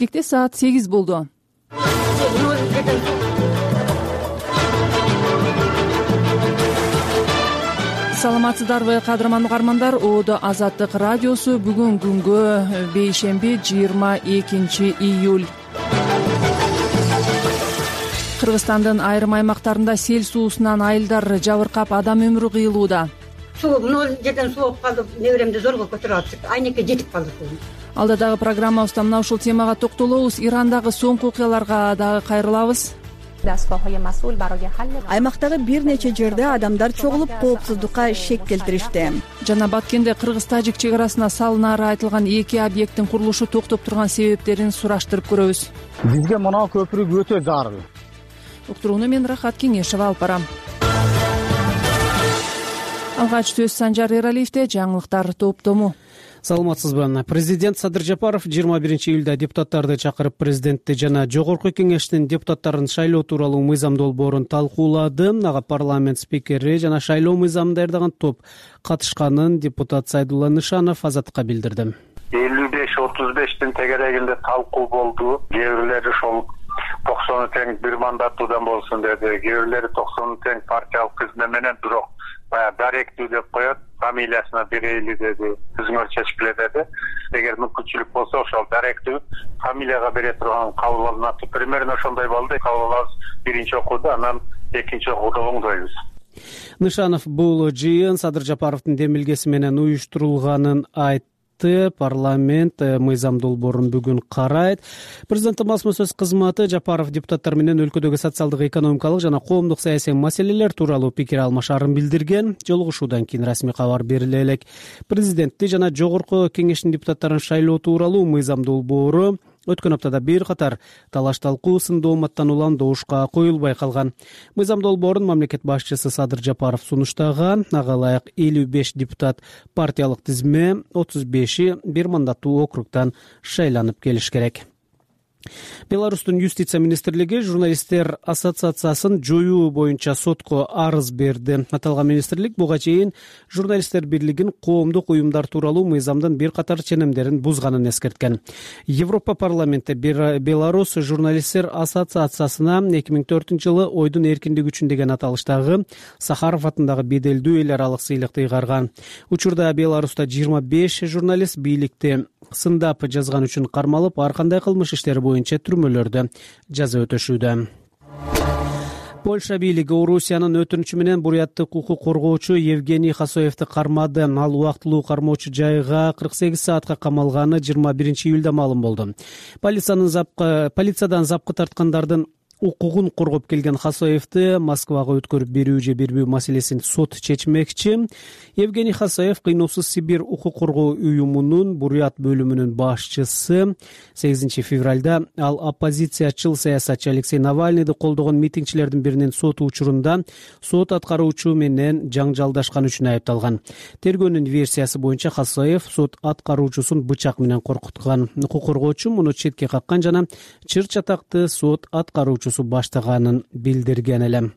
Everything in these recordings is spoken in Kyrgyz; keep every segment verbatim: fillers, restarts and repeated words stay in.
биштекте саат сегиз болду. Саламатсыздарбы кадырман угармандар, Оодо Азаттык радиосу бүгүн күнгө бейшемби жыйырма экинчи июль. Кыргызстандын айрым аймактарында сел суусунан айылдар жабыркап, адам өмүрү кыйылууда. Суу нөл жерден суу алып калдык, неберемди зорго көтөрүп алыптык. Айнекке жетип калдык. Алда дагы программабызда мына ушул темага токтолобуз. Ирандагы соңку окуяларга дагы кайрылабыз. Аймактагы бир нече жерде адамдар чогулуп коопсуздукка шек келтиришти. Жана Баткенде кыргыз-тажик чек арасына салынаары айтылган эки объекттин курулушу токтоп турган себептерин сураштырып көрөбүз. Бизге мына көпүрү өтө зарыл. Уктурууну мен Рахат Кеңешева алып барам. Алгач сөз Санжар Эралиевде, жаңылыктар топтому. Саламатсызбы. Президент Садыр Жапаров жыйырма биринчи июлда депутаттарды чакырып, президентти жана жогорку кеңештин депутаттарын шайлоо тууралуу мыйзам долбоорун талкуулады. Ага парламент спикери жана шайлоо мыйзамын даярдаган топ катышканын депутат Сайдулла Нышанов Азаттыкка билдирди. элүү беш отуз бештин тегерегинде талкуу болду. Кээ бирлери ошол токсону тең бир мандаттуудан болсун деди. Кээ бирлери токсону тең партиялык тизме менен, бирок баягы даректүү деп коет, фамилиясына берейли деди. Өзүңөр чечкиле деди. Эгер мүмкүнчүлүк болсо ошол даректүү фамилияга бере турган кабыл алынат. Примерно ошондой болду. Кабыл алабыз биринчи окууда, анан экинчи окууда оңдойбуз. Нышанов бул жыйын Садыр Жапаровдун демилгеси менен уюштурулганын айтты. Парламент мыйзам долбоорун бүгүн карайт. Президенттин басма сөз кызматы Жапаров депутаттар менен өлкөдөгү социалдык, экономикалык жана коомдук саясий маселелер тууралуу пикир алмашаарын билдирген. Жолугушуудан кийин расмий кабар бериле элек. Президентти жана жогорку кеңештин депутаттарын шайлоо тууралуу мыйзам долбоору өткөн аптада бир катар талаш талкуу сындуу оматтан улам добушка коюлбай калган. Мыйзам долбоорун мамлекет башчысы Садыр Жапаров сунуштаган. Ага ылайык элүү беш депутат партиялык тизме, отуз беши бир мандаттуу округдан шайланып келиш керек. Беларустун юстиция министрлиги журналисттер ассоциациясын жоюу боюнча сотко арыз берди. Аталган министрлик буга чейин журналисттер бирлигин коомдук уюмдар тууралуу мыйзамдын бир катар ченемдерин бузганын эскерткен. Европа парламенти Беларус журналисттер ассоциациясына эки миң төртүнчү жылы ойдун эркиндиги үчүн деген аталыштагы Сахаров атындагы беделдүү эл аралык сыйлыкты ыйгарган. Учурда Беларуста жыйырма беш журналист бийликти сындап жазган үчүн кармалып, ар кандай кылмыш иштери боюнча түрмөлөрдө жаза өтөшүүдө. Польша бийлиги Орусиянын өтүнүчү менен буряттык укук коргоочу Евгений Хасоевди кармады. Ал убактылуу кармоочу жайга кырк сегиз саатка камалганы жыйырма биринчи июлда маалым болду. Полициянын запкы полициядан запкы тарткандардын укугун коргоп келген Хасоевди Москвага өткөрүп берүү же бербөө маселесин сот чечмекчи. Евгений Хасоев Кыйноосуз Сибирь укук коргоо уюмунун бурят бөлүмүнүн башчысы. сегизинчи февралда ал оппозициячыл саясатчы Алексей Навальныйды колдогон митингчилердин биринин сот учурунда сот аткаруучу менен жаңжалдашкан үчүн айыпталган. Тергөөнүн версиясы боюнча Хасоев сот аткаруучусун бычак менен коркуткан. Укук коргоочу муну четке каккан жана чыр чатакты сот аткаруучу баштаганын билдирген эле.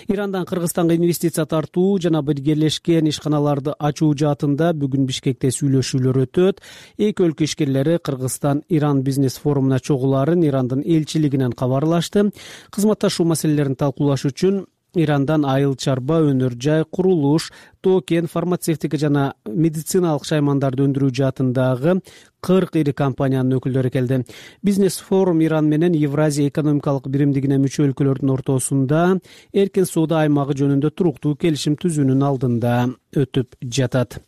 Ирандан Кыргызстанга инвестиция тартуу жана биргелешкен ишканаларды ачуу жаатында бүгүн Бишкекте сүйлөшүүлөр өтөт. Эки өлкө ишкерлери Кыргызстан-Иран бизнес форумуна чогулаарын Ирандын элчилигинен кабарлашты. Кызматташуу маселелерин талкуулаш үчүн Ирандан айыл чарба, өнөр жай, курулуш, токен, фармацевтика жана медициналык шаймандарды өндүрүү жаатындагы кырк ири компаниянын өкүлдөрү келди. Бизнес форум Иран менен Евразия экономикалык биримдигине мүчө өлкөлөрдүн ортосунда эркин соода аймагы жөнүндө туруктуу келишим түзүүнүн алдында өтүп жатат.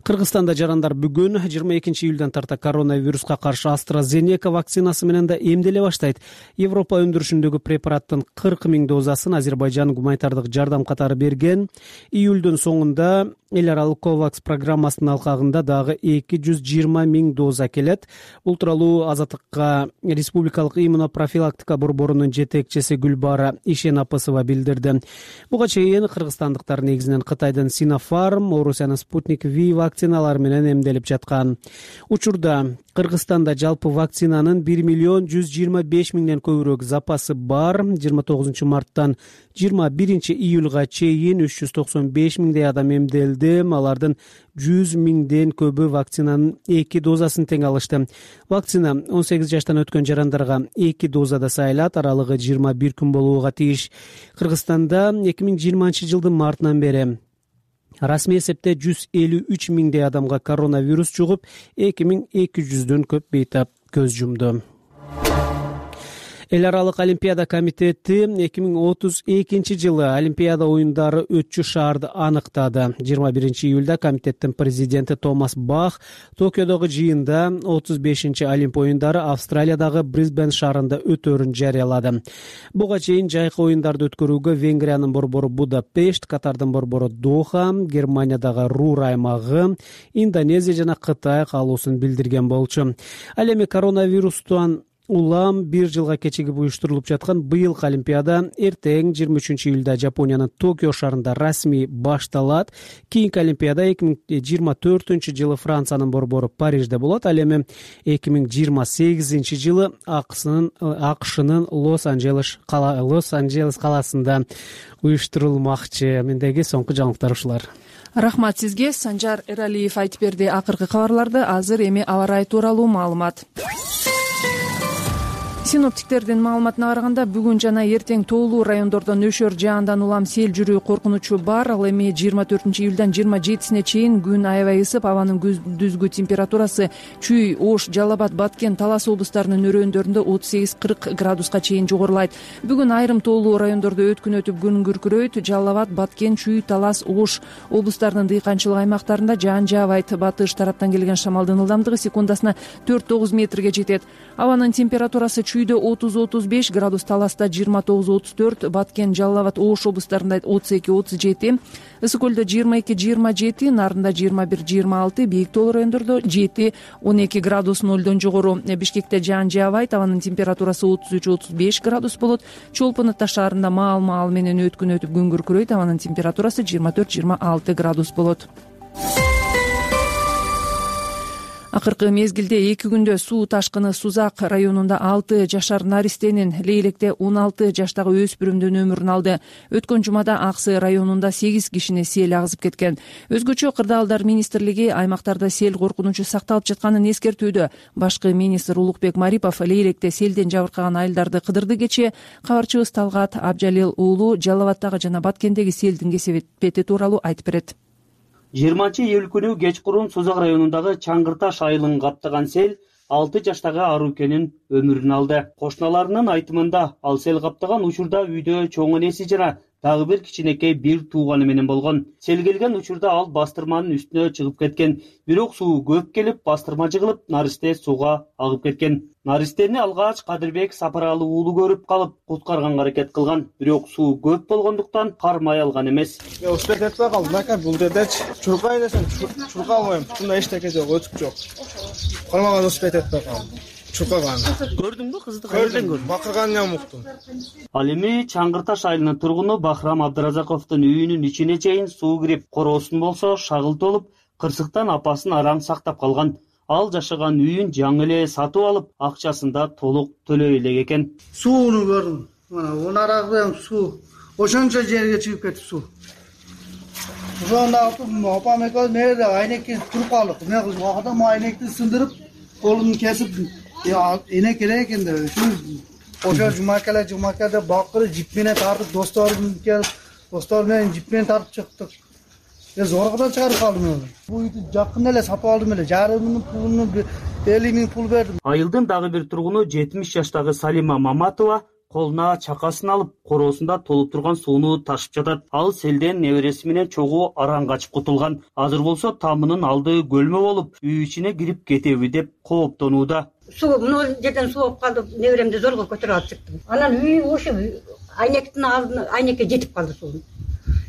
Кыргызстанда жарандар бүгүн жыйырма экинчи июлдан тарта коронавируска каршы AstraZeneca вакцинасы менен да эмделе баштайт. Европа өндүрүшүндөгү препараттын кырк миң дозасын Азербайжан гуманитардык жардам катары берген. Июлдун соңунда эл аралык COVAX программасынын алкагында дагы эки жүз жыйырма миң доза келет. Бул тууралуу Азаттыкка Республикалык иммунопрофилактика борборунун жетекчиси Гүлбара Ишенапысова билдирди. Буга чейин кыргызстандыктар негизинен Кытайдын Sinopharm, Орусиянын Sputnik спутник V вакциналары менен эмделип жаткан. Учурда Кыргызстанда жалпы вакцинанын бир миллион жүз жыйырма беш миңден көбүрөөк запасы бар. жыйырма тогузунчу марттан жыйырма биринчи июлга чейин үч жүз токсон беш миңдей адам эмделди. Алардын жүз миңден көбү вакцинанын эки дозасын тең алышты. Вакцина он сегиз жаштан өткөн жарандарга эки дозада сайылат, аралыгы жыйырма бир күн болууга тийиш. Кыргызстанда эки миң жыйырманчы жылдын мартынан бери расмий эсепте жүз элүү үч миңдей адамга коронавирус жугуп, эки миң эки жүздөн көп бейтап көз жумду. Эл аралык олимпиада комитети эки миң отуз экинчи жылы олимпиада оюндары өтчү шаарды аныктады. жыйырма биринчи июлда комитеттин президенти Томас Бах Токиодогу жыйында отуз бешинчи Олимп оюндары Австралиядагы Брисбен шаарында өтөөрүн жарыялады. Буга чейин жайкы оюндарды өткөрүүгө Венгриянын борбору Будапешт, Катардын борбору Доха, Германиядагы Рур аймагы, Индонезия жана Кытай каалоосун билдирген болчу. Ал эми коронавирустан улам бир жылга кечигип уюштурулуп жаткан быйылкы олимпиада эртең жыйырма үчүнчү июлда Жапониянын Токио шаарында расмий башталат. Кийинки олимпиада эки миң жыйырма төртүнчү жылы Франциянын борбору Парижде болот. Ал эми эки миң жыйырма сегизинчи жылы АКШнын Лос-Анджелес Лос-Анджелес каласында уюштурулмакчы. Мендеги соңку жаңылыктар ушулар. Рахмат сизге. Санжар Эралиев айтып берди акыркы кабарларды. Азыр эми аба ырайы тууралуу маалымат. Синоптиктердин маалыматына караганда бүгүн жана эртең тоолуу райондордо нөшөр жаандан улам сел жүрүү коркунучу бар. Ал эми жыйырма төртүнчү июлдан жыйырма жетисине чейин күн аябай ысып, абанын күндүзгү температурасы Чүй, Ош, Жалал Абад, Баткен, Талас облустарынын өрөөндөрүндө отуз сегиз кырк градуска чейин жогорулайт. Бүгүн айрым тоолуу райондордо өткүн өтүп күн күркүрөйт. Жалал Абад, Баткен, Чүй, Талас, Ош облустарынын дыйканчылык аймактарында жаан жаабайт. Батыш тараптан келген шамалдын ылдамдыгы секундасына төрт тогуз метрге жетет. Абанын температурасы Чүйдө отуз отуз беш градус, Таласта жыйырма тогуз отуз төрт, Баткен, Жалал Абад, Ош облустарында отуз эки отуз жети, Ысык көлдө жыйырма эки жыйырма жети, Нарында жыйырма бир жыйырма алты, бийик тоолуу райондордо жети он эки градус нолдон жогору. Бишкекте жаан жаабайт, абанын температурасы отуз үч отуз беш градус болот. Чолпон Ата шаарында маал-маал менен өткүн өтүп күн күркүрөйт, абанын температурасы жыйырма төрт жыйырма алты градус болот. Акыркы мезгилде эки күндө суу ташкыны Сузак районунда алты жашар наристенин, Лейлекте он алты жаштагы өспүрүмдүн өмүрүн алды. Өткөн жумада Аксы районунда сегиз кишини сел агызып кеткен. Өзгөчө Кырдаалдар министрлиги аймактарда сел коркунучу сакталып жатканын эскертүүдө. Башкы министр Улукбек Марипов Лейлекте селден жабыркаган айылдарды кыдырды. Кечээ кабарчыбыз Талгат Абжалил уулу Жалал Абадтагы жана Баткендеги селдин кесепети тууралуу айтып берет. жыйырманчы июль күнү кечкурун Сузак районундагы Чаңгырташ айылын каптаган сел алты жаштагы Арукенин өмүрүн алды. Кошуналарынын айтымында ал сел каптаган учурда үйдө чоң энеси жана дагы бир кичинекей бир тууганы менен болгон. Сел келген учурда ал бастырманын үстүнө чыгып кеткен. Бирок суу көп келип, бастырма жыгылып, наристе сууга агып кеткен. Наристени алгач Кадырбек Сапаралы уулу көрүп калып, куткарганга аракет кылган. Бирок суу көп болгондуктан кармай алган эмес. Успет этпей калдым экен, бул жердечи чуркай десем чурка албайм. Бунда эчтеке жок, өтүп жок. Кармаган успет этпей калдым. Чуркаган. Көрдүңбү кызды кайерден көрдүң? Бакыргандан уктум. Ал эми Чаңгырташ айылынын тургуну Бахрам Абдыразаковдун үйүнүн ичине чейин суу кирип, короосун болсо шагыл толуп, кырсыктан апасын араң сактап калган. Ал жашаган үйүн жаңы эле сатып алып, акчасында толук төлөй элек экен. Сууну көрдүм. Мына унарагы суу. Ошончо жерге чыгып кетти суу. Ошондо апам экөөбүз мерде айнекти туруп калдык. Эмне кылып адам айнекти сындырып, колун кесип, эне керек экен деп. Ошо жумакале жумакада бакырып жип менен тартып, досторум келип, достор менен жип менен тартып чыктык. Мен зоргодон чыгарып калдым. Бул үйдү жакын эле сатып алдым эле. Жарымын пулуну элүү миң пул бердим. Айылдын дагы бир тургуну жетимиш жаштагы Салима Маматова колуна чакасын алып, короосунда толуп турган сууну ташып жатат. Ал селден небереси менен чогуу араң качып кутулган. Азыр болсо тамынын алды көлмө болуп, үй ичине кирип кетеби деп кооптонууда. Суу мына жерден суу болуп калды, неберемди зорго көтөрүп алып чыктым. Анан үй ошо айнектин алдына айнекке жетип калды суу.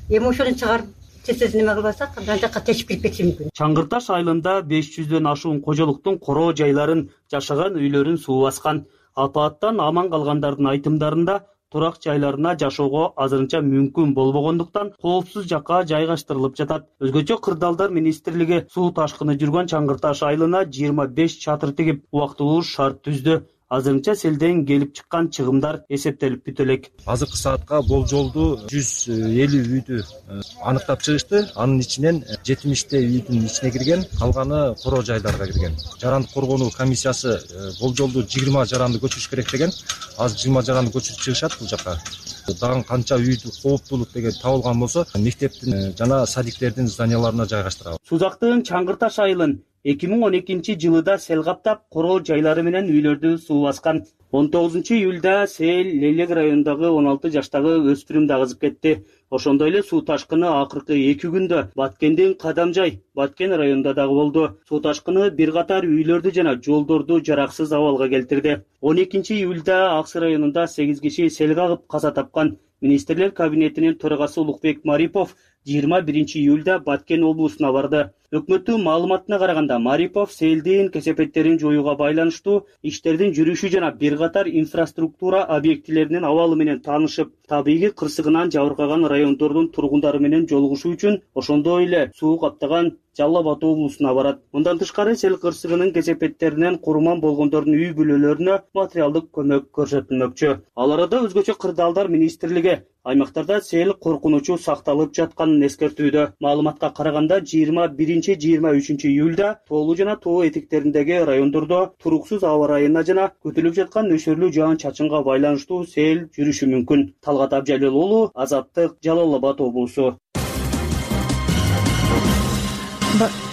Эми ошону чыгарып тез-тез неме кылбасак, ан жакка тешип кирип кетиши мүмкүн. Чаңгырташ айылында беш жүздөн ашуун кожолуктун короо жайларын, жашаган үйлөрүн суу баскан. Апааттан аман калгандардын айтымдарында турак жайларына жашоого азырынча мүмкүн болбогондуктан коопсуз жакка жайгаштырылып жатат. Өзгөчө Кырдаалдар министрлиги суу ташкыны жүргөн Чаңгырташ айылына жыйырма беш чатыр тигип убактылуу шарт түздү. Азырынча селден келип чыккан чыгымдар эсептелип бүтө элек. Азыркы саатка болжолду жүз элүү үйдү аныктап чыгышты. Анын ичинен жетимиште үйдүн ичине кирген, калганы короо жайларга кирген. Жарандык коргонуу комиссиясы болжолду жыйырма жаранды көчүрүш керек деген. Азыр жыйырма жаранды көчүрүп чыгышат бул жака. Дагы канча үйдү кооптуулук деген табылган болсо, мектептин жана садиктердин зданияларына жайгаштырабыз. Сузактын Чаңгырташ айылын эки миң он экинчи жылыда сел каптап, короо жайлары менен үйлөрдү суу баскан. он тогузунчу июлда сел Лелек районундагы он алты жаштагы өспүрүмдү агызып кетти. Ошондой эле суу ташкыны акыркы эки күндө Баткендин Кадамжай, Баткен районунда дагы болду. Суу ташкыны бир катар үйлөрдү жана жолдорду жараксыз абалга келтирди. он экинчи июлда Аксы районунда сегиз киши сел кагып каза тапкан. Министрлер кабинетинин төрагасы Улукбек Марипов жыйырма биринчи июлда Баткен облусуна барды. Өкмөттүн маалыматына караганда, Марипов селдин кесепеттерин жоюуга байланыштуу иштердин жүрүшү жана бир катар инфраструктура объектилеринин абалы менен таанышып, табигый кырсыгынан жабыркаган райондордун тургундары менен жолугушуу үчүн ошондой эле суу каптаган Жалал Абад облусуна барат. Мындан тышкары сел кырсыгынын кесепеттеринен курман болгондордун үй бүлөлөрүнө материалдык көмөк көрсөтүлмөкчү. Ал арада өзгөчө Кырдаалдар министрлиги аймактарда сел коркунучу сакталып жатканын эскертүүдө. Маалыматка караганда жыйырма биринчи жыйырма үчүнчү июлда тоолуу жана тоо этектериндеги райондордо туруксуз аба ырайына жана күтүлүп жаткан нөшөрлүү жаан-чачынга байланыштуу сел жүрүшү мүмкүн. Талгат Абжалил уулу, Азаттык, Жалал Абад облусу.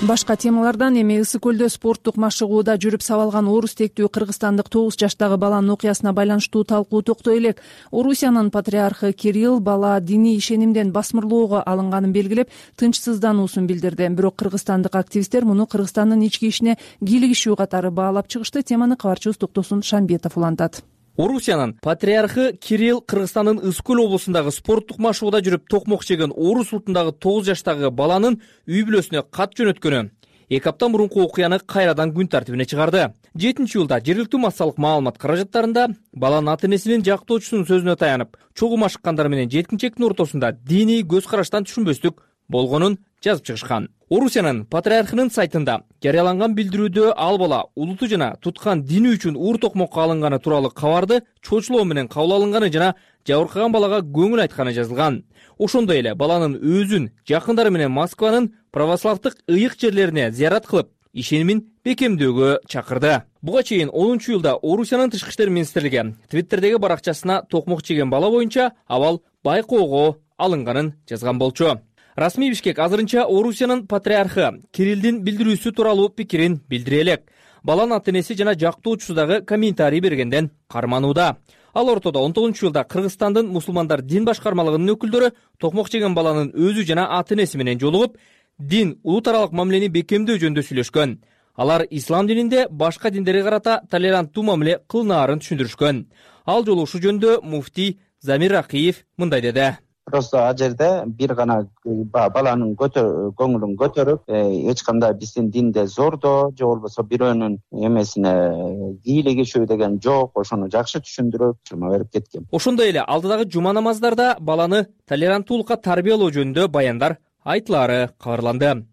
Башка темалардан эми Ысык көлдө спорттук машыгууда жүрүп сабалган орус тектүү кыргызстандык тогуз жаштагы баланын окуясына байланыштуу талкуу токтой элек. Орусиянын патриархы Кирилл бала диний ишенимден басмырлоого алынганын белгилеп, тынчсыздануусун билдирди. Бирок кыргызстандык активисттер муну Кыргызстандын ички ишине кийлигишүү катары баалап чыгышты. Теманы кабарчыбыз Токтосун Шамбетов улантат. Орусиянын патриархы Кирилл Кыргызстандын Ысык көл облусундагы спорттук машыгууда жүрүп токмок жеген орус улутундагы тогуз жаштагы баланын үй бүлөсүнө кат жөнөткөнү эки апта мурунку окуяны кайрадан күн тартибине чыгарды. жетинчи июлда жергиликтүү массалык маалымат каражаттарында баланын ата энесинин жактоочусунун сөзүнө таянып, чогуу машыккандар менен жеткинчектин ортосунда диний көз караштан түшүнбөстүк болгонун жазып чыгышкан. Орусиянын патриархынын сайтында жарыяланган билдирүүдө ал бала улуту жана туткан дини үчүн уур токмокко алынганы тууралуу кабарды чочулоо менен кабыл алынганы жана жабыркаган балага көңүл айтканы жазылган. Ошондой эле баланын өзүн, жакындары менен Москванын православдык ыйык жерлерине зыярат кылып, ишенимин бекемдөөгө чакырды. Буга чейин онунчу июлда Орусиянын тышкы иштер министрлиги Твиттердеги баракчасына токмок жеген бала боюнча абал байкоого алынганын жазган болчу. Расмий Бишкек азырынча Орусиянын патриархы Кириллдин билдирүүсү тууралуу пикирин билдире элек. Баланын ата энеси жана жактоочусу дагы комментарий бергенден карманууда. Ал ортодо он тогузунчу июлда Кыргызстандын мусулмандар дин башкармалыгынын өкүлдөрү токмок жеген баланын өзү жана ата энеси менен жолугуп, дин улут аралык мамилени бекемдөө жөнүндө сүйлөшкөн. Алар ислам дининде башка диндерге карата толеранттуу мамиле кылынаарын түшүндүрүшкөн. Ал жолу ушул жөнүндө муфтий Замир Ракиев мындай деди. Просто ал жерде бир гана баланын көңүлүн көтөрүп, эч кандай биздин динде зордоо же болбосо бирөөнүн эмесине кийлигишүү деген жок, ошону жакшы түшүндүрүп жума берип кеткен. Ошондой эле алдыдагы жума намаздарда баланы толеранттуулукка тарбиялоо жөнүндө баяндар айтылары кабарланды.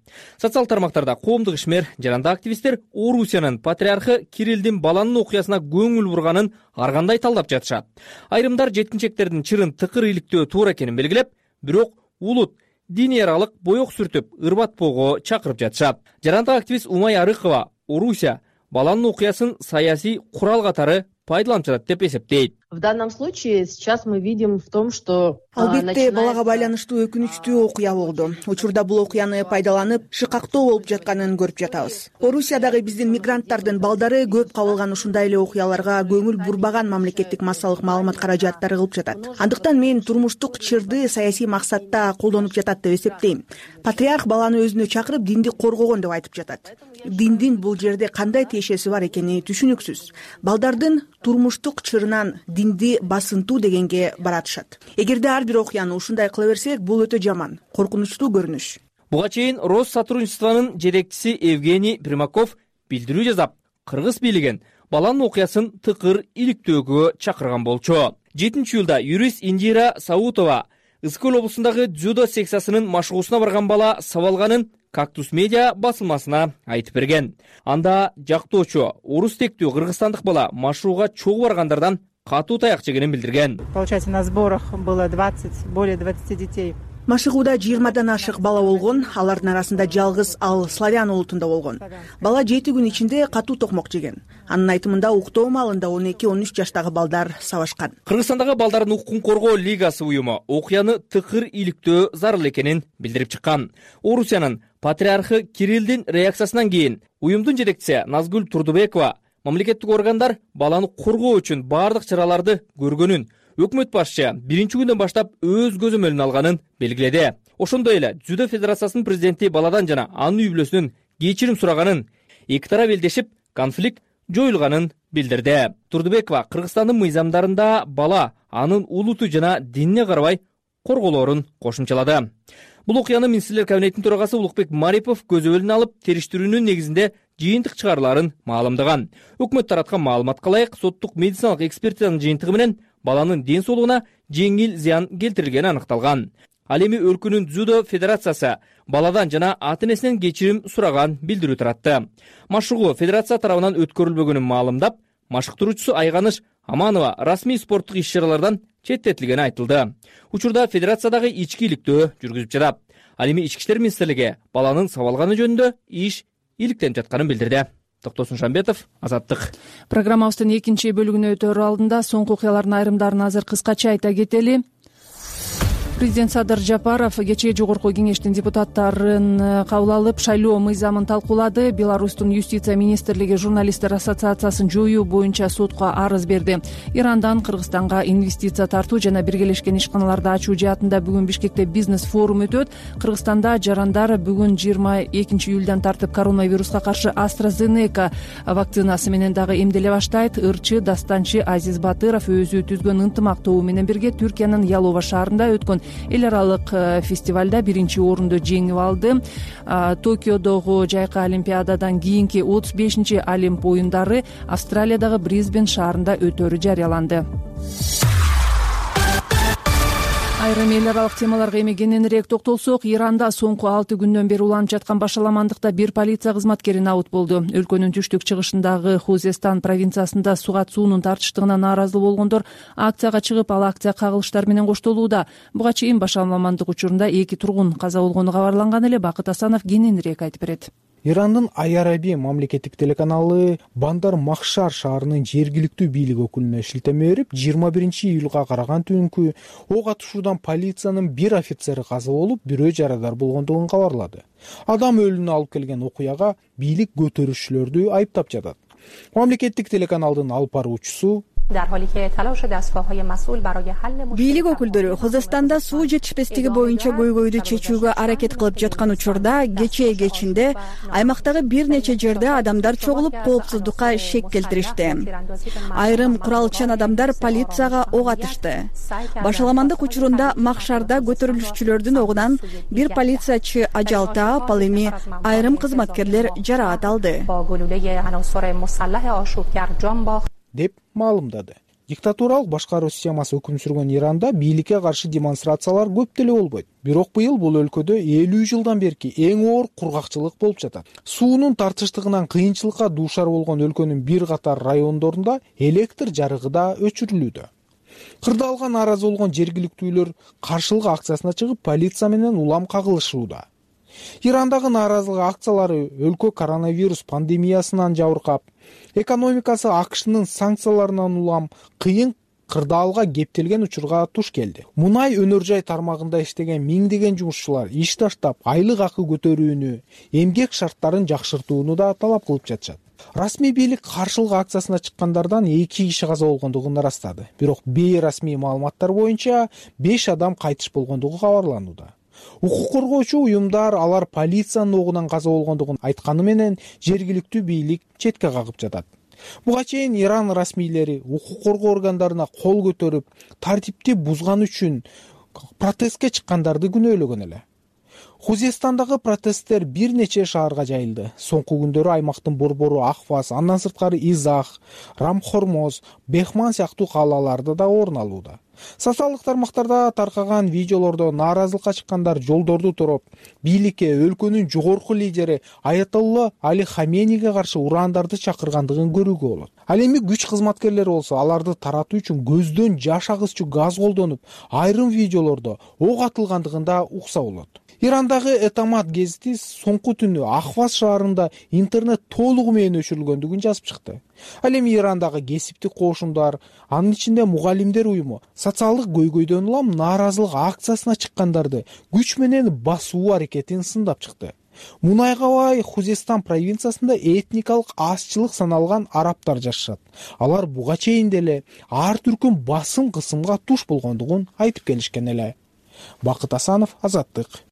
Социал тармактарда коомдук ишмер, жарандык активисттер Орусиянын патриархы Кириллдин баланын окуясына көңүл бурганын ар кандай талдап жатышат. Айрымдар жеткинчектердин чырын тыкыр иликтөө туура экенин белгилеп, бирок улут диний аралык боек сүртүп ырбатпоого чакырып жатышат. Жарандык активист Умай Арыкова Орусия баланын окуясын саясий курал катары пайдаланып жатат деп эсептейт. В данном случае сейчас мы видим в том, что албетте балага байланыштуу өкүнүчтүү окуя болду. Учурда бул окуяны пайдаланып, шыкактоо болуп жатканын көрүп жатабыз. Орусиядагы биздин мигранттардын балдары көп кабылган ушундай эле окуяларга көңүл бурбаган мамлекеттик массалык маалымат каражаттары кылып жатат. Андыктан мен турмуштук чырды саясий максатта колдонуп жатат деп эсептейм. Патриарх баланы өзүнө чакырып динди коргогон деп айтып жатат. Диндин бул жерде кандай тиешеси бар экени түшүнүксүз. Балдардын турмуштук чырынан динди басынтуу дегенге баратышат. Эгерде ар бир окуяны ушундай кыла берсек, бул өтө жаман, коркунучтуу көрүнүш. Буга чейин Россотрудничествонун жетекчиси Евгений Примаков билдирүү жасап, кыргыз бийлигин баланын окуясын тыкыр иликтөөгө чакырган болчу. жетинчи июлда юрист Индира Саутова Ысыкөл облусундагы дзюдо секциясынын машыгуусуна барган бала сабалганын Кактус медиа басылмасына айтып берген. Анда жактоочу орус тектүү кыргызстандык бала машыгууга чогуу баргандардан катуу таяк жегенин билдирген. Получается, на сборах было двадцать, более двадцати детей. Машыгууда жыйырмадан ашык бала болгон, алардын арасында жалгыз ал славян улутунда болгон. Бала жети күн ичинде катуу токмок жеген. Анын айтымында уктоо маалында он эки он үч жаштагы балдар сабашкан. Кыргызстандагы балдардын укугун коргоо лигасы уюму окуяны тыкыр иликтөө зарыл экенин билдирип чыккан. Орусиянын патриархы Кириллдин реакциясынан кийин уюмдун жетекчиси Назгүл Турдубекова мамлекеттик органдар баланы коргоо үчүн бардык чараларды көргөнүн, өкмөт башчы биринчи күндөн баштап өз көзөмөлүнө алганын белгиледи. Ошондой эле Дзюдо федерациясынын президенти баладан жана анын үй бүлөсүнөн кечирим сураганын, эки тарап элдешип конфликт жоюлганын билдирди. Турдубекова Кыргызстандын мыйзамдарында бала анын улуту жана динине карабай корголоорун кошумчалады. Бул окуяны министрлер кабинетинин төрагасы Улукбек Марипов көзөмөлүнө алып, териштирүүнүн негизинде жыйынтык чыгаруларын маалымдаган. Өкмөт тараткан маалыматка ылайык, соттук медициналык экспертизанын жыйынтыгы менен баланын ден соолугуна жеңил зыян келтирилгени аныкталган. Ал эми өлкөнүн дзюдо федерациясы баладан жана ата-энесинен кечирим сураган билдирүү таратты. Машыгуу федерация тарабынан өткөрүлбөгөнүн маалымдап, машыктыруучусу Айганыш Аманова расмий спорттук иш-чаралардан четтетилгени айтылды. Учурда федерациядагы ички иликтөө жүргүзүп жатат. Ал эми Ички иштер министрлиги баланын сабалганы жөнүндө иш иликтенип жатканын билдирди. Токтосун Шамбетов, Азаттык. Программабыздын экинчи бөлүгүнө өтөр алдында соңку окуялардын айрымдарын азыр кыскача айта кетели. Президент Садыр Жапаров кечээ жогорку кеңештин депутаттарын кабыл алып, шайлоо мыйзамын талкуулады. Беларустун юстиция министрлиги журналисттер ассоциациясын жоюу боюнча сотко арыз берди. Ирандан Кыргызстанга инвестиция тартуу жана биргелешкен ишканаларды ачуу жаатында бүгүн Бишкекте бизнес форум өтөт. Кыргызстанда жарандар бүгүн жыйырма экинчи июлдан тартып коронавируска каршы AstraZeneca вакцинасы менен дагы эмделе баштайт. Ырчы Дастанчы Азиз Батыров өзү түзгөн ынтымак тобу менен бирге Түркиянын Ялова шаарында өткөн эл аралык фестивалда биринчи орунду жеңип алды. Токиодогу жайкы олимпиададан кийинки отуз бешинчи Олимп оюндары Австралиядагы Брисбен шаарында өтөрү жарыяланды. Айрым эл аралык темаларга эми кененирээк токтолсок, Иранда соңку алты күндөн бери уланып жаткан башаламандыкта бир полиция кызматкери набыт болду. Өлкөнүн түштүк чыгышындагы Хузестан провинциясында сугат суунун тартыштыгына нааразы болгондор акцияга чыгып, ал акция кагылыштар менен коштолууда. Буга чейин башаламандык учурунда эки тургун каза болгону кабарланган эле. Бакыт Асанов кененирээк айтып берет. Ирандын Ай-Араби мамлекеттик телеканалы Бандар Махшар шаарынын жергиликтүү бийлик өкүлүнө шилтеме берип, жыйырма биринчи июлга караган түнкү ок атышуудан полициянын бир офицери каза болуп, бирөө жарадар болгондугун кабарлады. Адам өлүмүнө алып келген окуяга бийлик көтөрүүчүлөрдү айыптап жатат. Мамлекеттик телеканалдын алып баруучусу бийлик өкүлдөрү Кыргызстанда суу жетишпестиги боюнча көйгөйдү чечүүгө аракет кылып жаткан учурда кечээ кечинде аймактагы бир нече жерде адамдар чогулуп коопсуздукка шек келтиришти. Айрым куралчан адамдар полицияга ок атышты. Башаламандык учурунда Махшарда көтөрүлүшчүлөрдүн огунан бир полициячы ажал таап, ал эми айрым кызматкерлер жараат алды деп маалымдады. Диктатуралык башкаруу системасы өкүм сүргөн Иранда бийликке каршы демонстрациялар көп деле болбойт. Бирок быйыл бул өлкөдө элүү жылдан берки эң оор кургакчылык болуп жатат. Суунун тартыштыгынан кыйынчылыкка дуушар болгон өлкөнүн бир катар райондорунда электр жарыгы да өчүрүлүүдө. Кырдаалга нааразы болгон жергиликтүүлөр каршылык акциясына чыгып, полиция менен улам кагылышууда. Ирандагы нааразылык акциялары өлкө коронавирус пандемиясынан жабыркап, экономикасы АКШнын санкцияларынан улам кыйын кырдаалга кептелген учурга туш келди. Мунай өнөр жай тармагында иштеген миңдеген жумушчулар иш таштап, айлык акы көтөрүүнү, эмгек шарттарын жакшыртууну да талап кылып жатышат. Расмий бийлик каршылык акциясына чыккандардан эки киши каза болгондугун ырастады. Бирок бейрасмий маалыматтар боюнча беш адам кайтыш болгондугу кабарланууда. Укук коргоочу уюмдар алар полициянын огунан каза болгондугун айтканы менен жергиликтүү бийлик четке кагып жатат. Буга чейин Иран расмийлери укук коргоо органдарына кол көтөрүп, тартипти бузган үчүн протестке чыккандарды күнөөлөгөн эле. Хузестандагы протесттер бир нече шаарга жайылды. Соңку күндөрү аймактын борбору Ахваз, андан сырткары Изах, Рамхормоз, Бехман сыяктуу калаларда да орун алууда. Социалдык тармактарда таркаган видеолордо нааразылыкка чыккандар жолдорду туруп, бийликке өлкөнүн жогорку лидери Аятолла Али Хаменийге каршы урандарды чакыргандыгын көрүүгө болот. Ал эми күч кызматкерлери болсо аларды таратуу үчүн көздөн жаш агызчу газ колдонуп, айрым видеолордо ок атылгандыгын да укса болот. Ирандагы Этамат гезити соңку түнү Ахваз шаарында интернет толугу менен өчүрүлгөндүгүн жазып чыкты. Ал эми Ирандагы кесиптик коошундар, анын ичинде мугалимдер уюму социалдык көйгөйдөн улам нааразылык акциясына чыккандарды күч менен басуу аракетин сындап чыкты. Мунайга бай Хузестан провинциясында этникалык азчылык саналган арабтар жашашат. Алар буга чейин деле ар түркүн басым кысымга туш болгондугун айтып келишкен эле. Бакыт Асанов, Азаттык.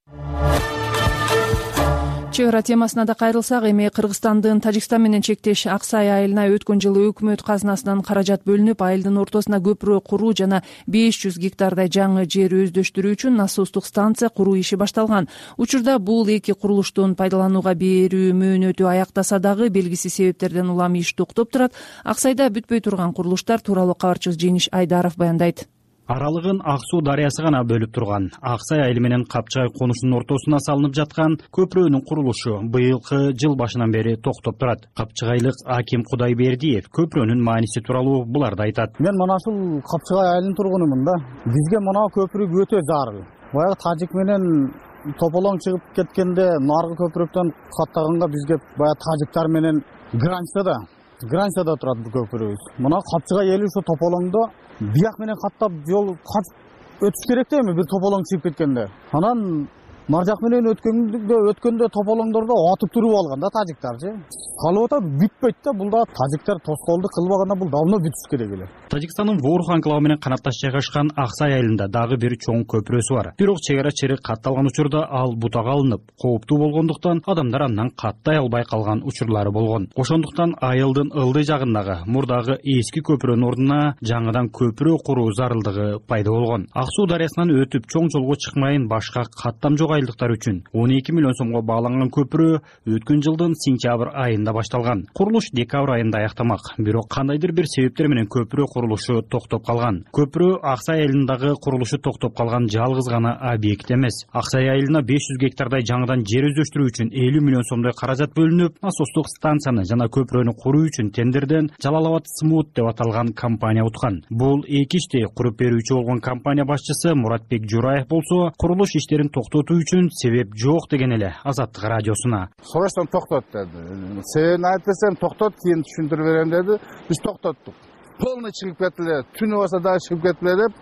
Чек ара темасына да кайрылсак, эми Кыргызстандын Тажикстан менен чектеш Аксай айылына өткөн жылы өкмөт казынасынан каражат бөлүнүп, айылдын ортосуна көпүрө куруу жана беш жүз гектардай жаңы жер өздөштүрүү үчүн насостук станция куруу иши башталган. Учурда бул эки курулуштун пайдаланууга берүү мөөнөтү аяктаса дагы белгисиз себептерден улам иш токтоп турат. Аксайда бүтпөй турган курулуштар тууралуу кабарчыбыз Жеңиш Айдаров баяндайт. Аралыгын Ак суу дарыясы гана бөлүп турган Аксай айылы менен Капчыгай конушунун ортосуна салынып жаткан көпүрөнүн курулушу быйылкы жыл башынан бери токтоп турат. Капчыгайлык Аким Кудайбердиев көпүрөнүн мааниси тууралуу буларды айтат. Мен мына ушул Капчыгай айылынын тургунумун да. Бизге мына көпүрө өтө зарыл. Баягы тажик менен тополоң чыгып кеткенде наркы көпүрөктөн каттаганга бизге баягы тажиктар менен границада границада турат бул көпүрөбүз. Мына Капчыгай эли ошо тополоңдо бияк менен каттап жол качып өтүш керек да, эми бир тополоң чыгып кеткенде. Анан маржак менен өткөндө өткөндө тополоңдордо атып туруп алган да тажиктарчы. Калып атат, бүтпөйт да, бул да тажиктар тоскоолдук кылбаганда бул давно бүтүш керек эле. Тажикстандын Воорух анклавы менен канатташ жайгашкан Аксай айылында дагы бир чоң көпүрөсү бар. Бирок чек ара чырык катталган учурда ал бутага алынып, кооптуу болгондуктан адамдар андан каттай албай калган учурлары болгон. Ошондуктан айылдын ылдый жагындагы мурдагы эски көпүрөнүн ордуна жаңыдан көпүрө куруу зарылдыгы пайда болгон. Ак суу дарыясынан өтүп чоң жолго чыкмайын башка каттам жок айылдыктар үчүн он эки миллион сомго бааланган көпүрө өткөн жылдын сентябрь айында башталган. Курулуш декабрь айында аяктамак. Бирок кандайдыр бир себептер менен көпүрө курулушу токтоп калган. Көпүрө Аксай айылындагы курулушу токтоп калган жалгыз гана объект эмес. Аксай айылына беш жүз гектардай жаңыдан жер өздөштүрүү үчүн элүү миллион сомдой каражат бөлүнүп, насостук станцияны жана көпүрөнү куруу үчүн тендерден Жалалабад Смут деп аталган компания уткан. Бул эки ишти куруп берүүчү болгон компания башчысы Муратбек Жураев болсо, курулуш иштерин токтотуу үчүн себеп жок деген эле Азаттык радиосуна. Срочно токтот деди. Себебин айтып берсем, токтот, кийин түшүндүрүп берем деди. Биз токтоттук. Полный чыгып кетиле, түнү болсо дагы чыгып кетиле деп,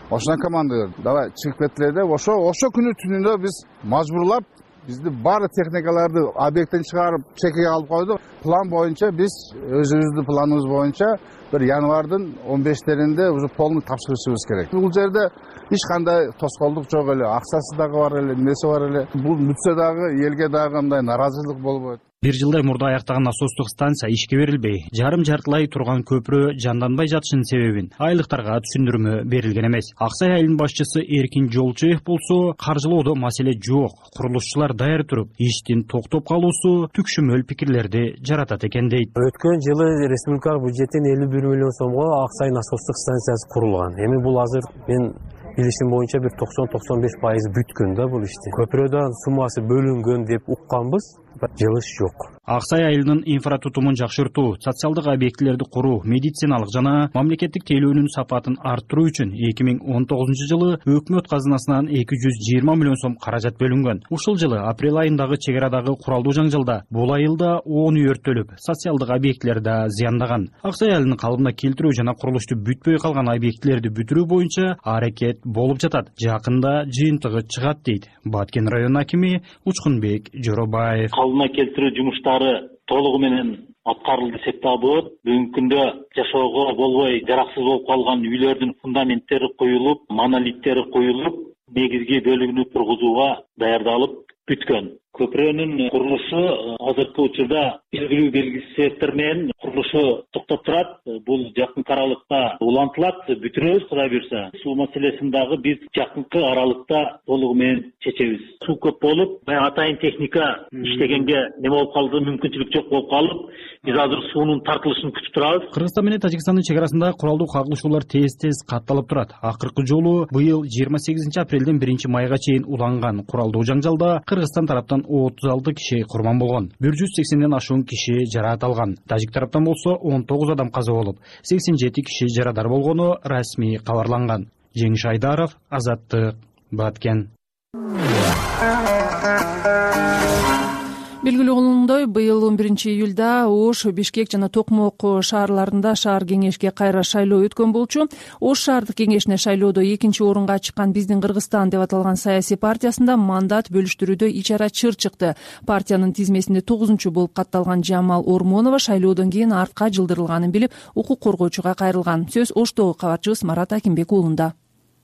ошондон команда берди. Давай чыгып кетиле деп, ошо ошо күнү түнүндө биз мажбурлап, бизди баары техникаларды объекттен чыгарып чекеге алып койдук. План боюнча биз өзүбүздүн планыбыз боюнча бир январдын он бештеринде уже полный тапшырышыбыз керек. Бул жерде эч кандай тоскоолдук жок эле, акчасы дагы бар эле, эмеси бар эле. Бул бүтсө дагы элге дагы кандай нааразычылык болбойт. Бир жылдай мурда аяктаган насостук станция ишке берилбей, жарым жартылай турган көпүрө жанданбай жатышынын себебин айылдыктарга түшүндүрмө берилген эмес. Аксай айылынын башчысы Эркин Жолчуев болсо, каржылоодо маселе жок, курулушчулар даяр туруп, иштин токтоп калуусу түкшүмөл пикирлерди жаратат экен дейт. Өткөн жылы республикалык бюджеттен элүү бир миллион сомго Аксай насостук станциясы курулган. Эми бул азыр мен билишим боюнча бир токсон токсон беш пайыз бүткөн да бул ишти. Көпүрөдөн суммасы бөлүнгөн деп укканбыз, жылыш жок. Аксай айылынын инфратутумун жакшыртуу, социалдык объектилерди куруу, медициналык жана мамлекеттик тейлөөнүн сапатын арттыруу үчүн эки миң он тогузунчу жылы өкмөт казынасынан эки жүз жыйырма миллион сом каражат бөлүнгөн. Ушул жылы апрель айындагы чек арадагы куралдуу жаңжалда бул айылда он үй өрттөлүп, социалдык объектилер да зыяндаган. Аксай айылынын калыбына келтирүү жана курулушту бүтпөй калган объектилерди бүтүрүү боюнча аракет болуп жатат. Жакында жыйынтыгы чыгат дейт Баткен районунун акими Учкунбек Жоробаев. Калыбына келтирүү жумуштары толугу менен аткарылды десек да болот. Бүгүнкү күндө жашоого болбой жараксыз болуп калган үйлөрдүн фундаменттери коюлуп, монолиттери коюлуп, негизги бөлүгүнү тургузууга даярдалып бүткөн. Көпүрөнүн курулушу азыркы учурда белгилүү белгисиздиктер менен курулушу токтоп турат. Бул жакынкы аралыкта улантылат, бүтүрөбүз Кудай буюрса. Суу маселесин дагы биз жакынкы аралыкта толугу менен чечебиз. Суу көп болуп, баягы атайын техника иштегенге неме болуп калды, мүмкүнчүлүк жок болуп калып, биз азыр суунун тартылышын күтүп турабыз. Кыргызстан менен Тажикстандын чек арасында куралдуу кагылышуулар тез-тез катталып турат. Акыркы жолу быйыл жыйырма сегизинчи апрелден биринчи майга чейин уланган куралдуу жаңжалда Кыргызстан тараптан отуз алты киши курман болгон. бир жүз сексенден ашуун киши жараат алган. Тажик тараптан болсо он тогуз адам каза болуп, сексен жети киши жарадар болгону расмий кабарланган. Жеңиш Айдаров, Азаттык, Баткен. Белгилүү болгондой, быйыл он биринчи июлда Ош, Бишкек жана Токмок шаарларында шаар кеңешке кайра шайлоо өткөн болчу. Ош шаардык кеңешине шайлоодо экинчи орунга чыккан Биздин Кыргызстан деп аталган саясий партиясында мандат бөлүштүрүүдө ичара чыр чыкты. Партиянын тизмесинде тогузунчу болуп катталган Жамал Ормонова шайлоодон кийин артка жылдырылганын билип, укук коргоочуга кайрылган. Сөз Оштогу кабарчыбыз Марат Акимбек уулунда.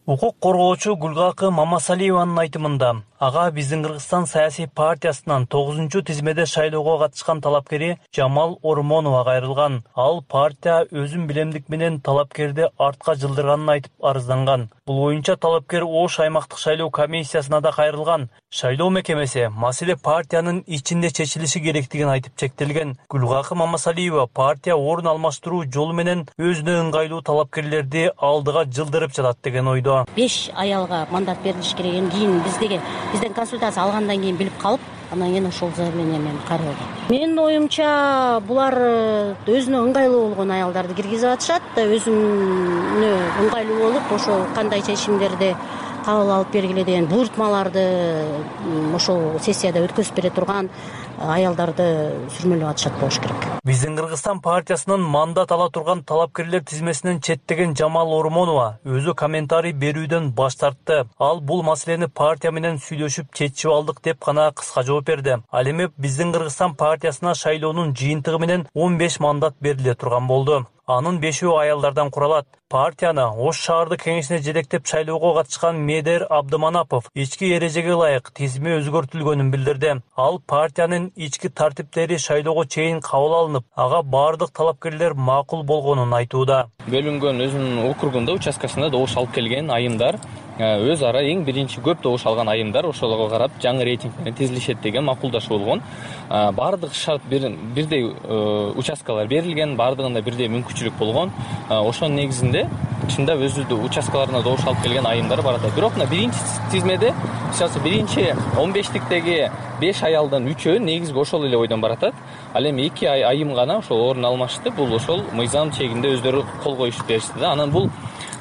Укук коргоочу Гүлгакы Мамасалиеванын айтымында, ага Биздин Кыргызстан саясий партиясынан тогузунчу тизмеде шайлоого катышкан талапкери Жамал Ормонова кайрылган. Ал партия өзүн билемдик менен талапкерди артка жылдырганын айтып арызданган. Бул боюнча талапкер Ош аймактык шайлоо комиссиясына да кайрылган. Шайлоо мекемеси маселе партиянын ичинде чечилиши керектигин айтып чектелген. Гүлгакы Мамасалиева партия орун алмаштыруу жолу менен өзүнө ыңгайлуу талапкерлерди алдыга жылдырып жатат деген ойдо. беш аялга мандат берилиш керек. Кийин биздеги бизден консультация алгандан кийин билип калып, анан кийин ошол заявление менен кайрылдым. Менин оюмча, булар өзүнө ыңгайлуу болгон аялдарды киргизип атышат, өзүнө ыңгайлуу болуп, ошол кандай чечимдерди кабыл алып бергиле деген буйртмаларды ошол сессияда өткөзүп бере турган аялдарды сүрмөлөп атышат болуш керек. Биздин Кыргызстан партиясынын мандат ала турган талапкерлер тизмесинен четтеген Жамал Ормонова өзү комментарий берүүдөн баш тартты. Ал бул маселени партия менен сүйлөшүп чечип алдык деп гана кыска жооп берди. Ал эми Биздин Кыргызстан партиясына шайлоонун жыйынтыгы менен он беш мандат бериле турган болду. Анын бешөө аялдардан куралат. Партияны Ош шаардык кеңешине жетектеп шайлоого катышкан Медер Абдыманапов ички эрежеге ылайык тизими өзгөртүлгөнүн билдирди. Ал партиянын ички тартиптери шайлоого чейин кабыл алынып, ага бардык талапкерлер макул болгонун айтууда. Бөлүнгөн өзүнүн округунда, участкасында добуш алып келген айымдар өз ара эң биринчи көп добуш алган айымдар ошолорго карап жаңы рейтинг менен тизилишет деген макулдашуу болгон. Бардык шарт бирдей участкалар берилген, бардыгында бирдей мүмкүнчүлүк болгон. Ошонун негизинде чындап өзү участкаларына добуш алып келген айымдар бар да. Бирок мына биринчи тизмеде, сейчас биринчи он бештиктеги беш аялдан үчөө негизги ошол эле ойдон баратат. Ал эми эки айым гана ошол орун алмашты. Бул ошол мыйзам чегинде өздөрү кол коюшуп беришти да. Анан бул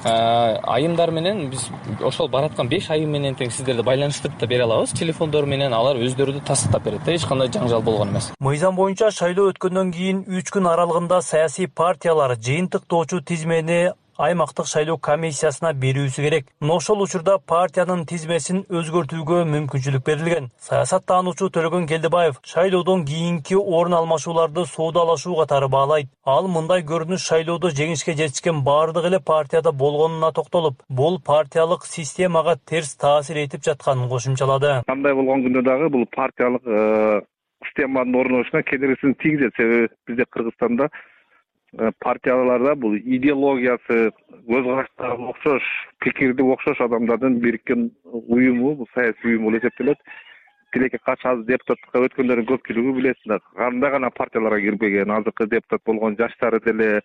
айымдар менен биз ошол бараткан беш айым менен тең сиздерди байланыштырып да бере алабыз. Телефондор менен алар өздөрү да тастыктап берет. Эч кандай жаңжал болгон эмес. Мыйзам боюнча шайлоо өткөндөн кийин үч күн аралыгында саясий партиялар жыйынтыктоочу тизмени аймактык шайлоо комиссиясына берүүсү керек. Ошол учурда партиянын тизмесин өзгөртүүгө мүмкүнчүлүк берилген. Саясаттануучу Төлөгөн Келдебаев шайлоодон кийинки орун алмашууларды соодалашуу катары баалайт. Ал мындай көрүнүш шайлоодо жеңишке жетишкен бардык эле партияда болгонуна токтолуп, бул партиялык системага терс таасир этип жатканын кошумчалады. Кандай болгон күндө дагы бул партиялык системанын орношуна кедергисин тийгизет. Себеби бизде Кыргызстанда партияларда бул идеологиясы, көз караштары окшош, пикирди окшош адамдардын бириккен уюму, бул саясий уюм болуп эсептелет. Тилекке каршы азыр депутаттыкка өткөндөрдүн көпчүлүгү билесиңер, кандай гана партияларга кирбеген, азыркы депутат болгон жаштары деле,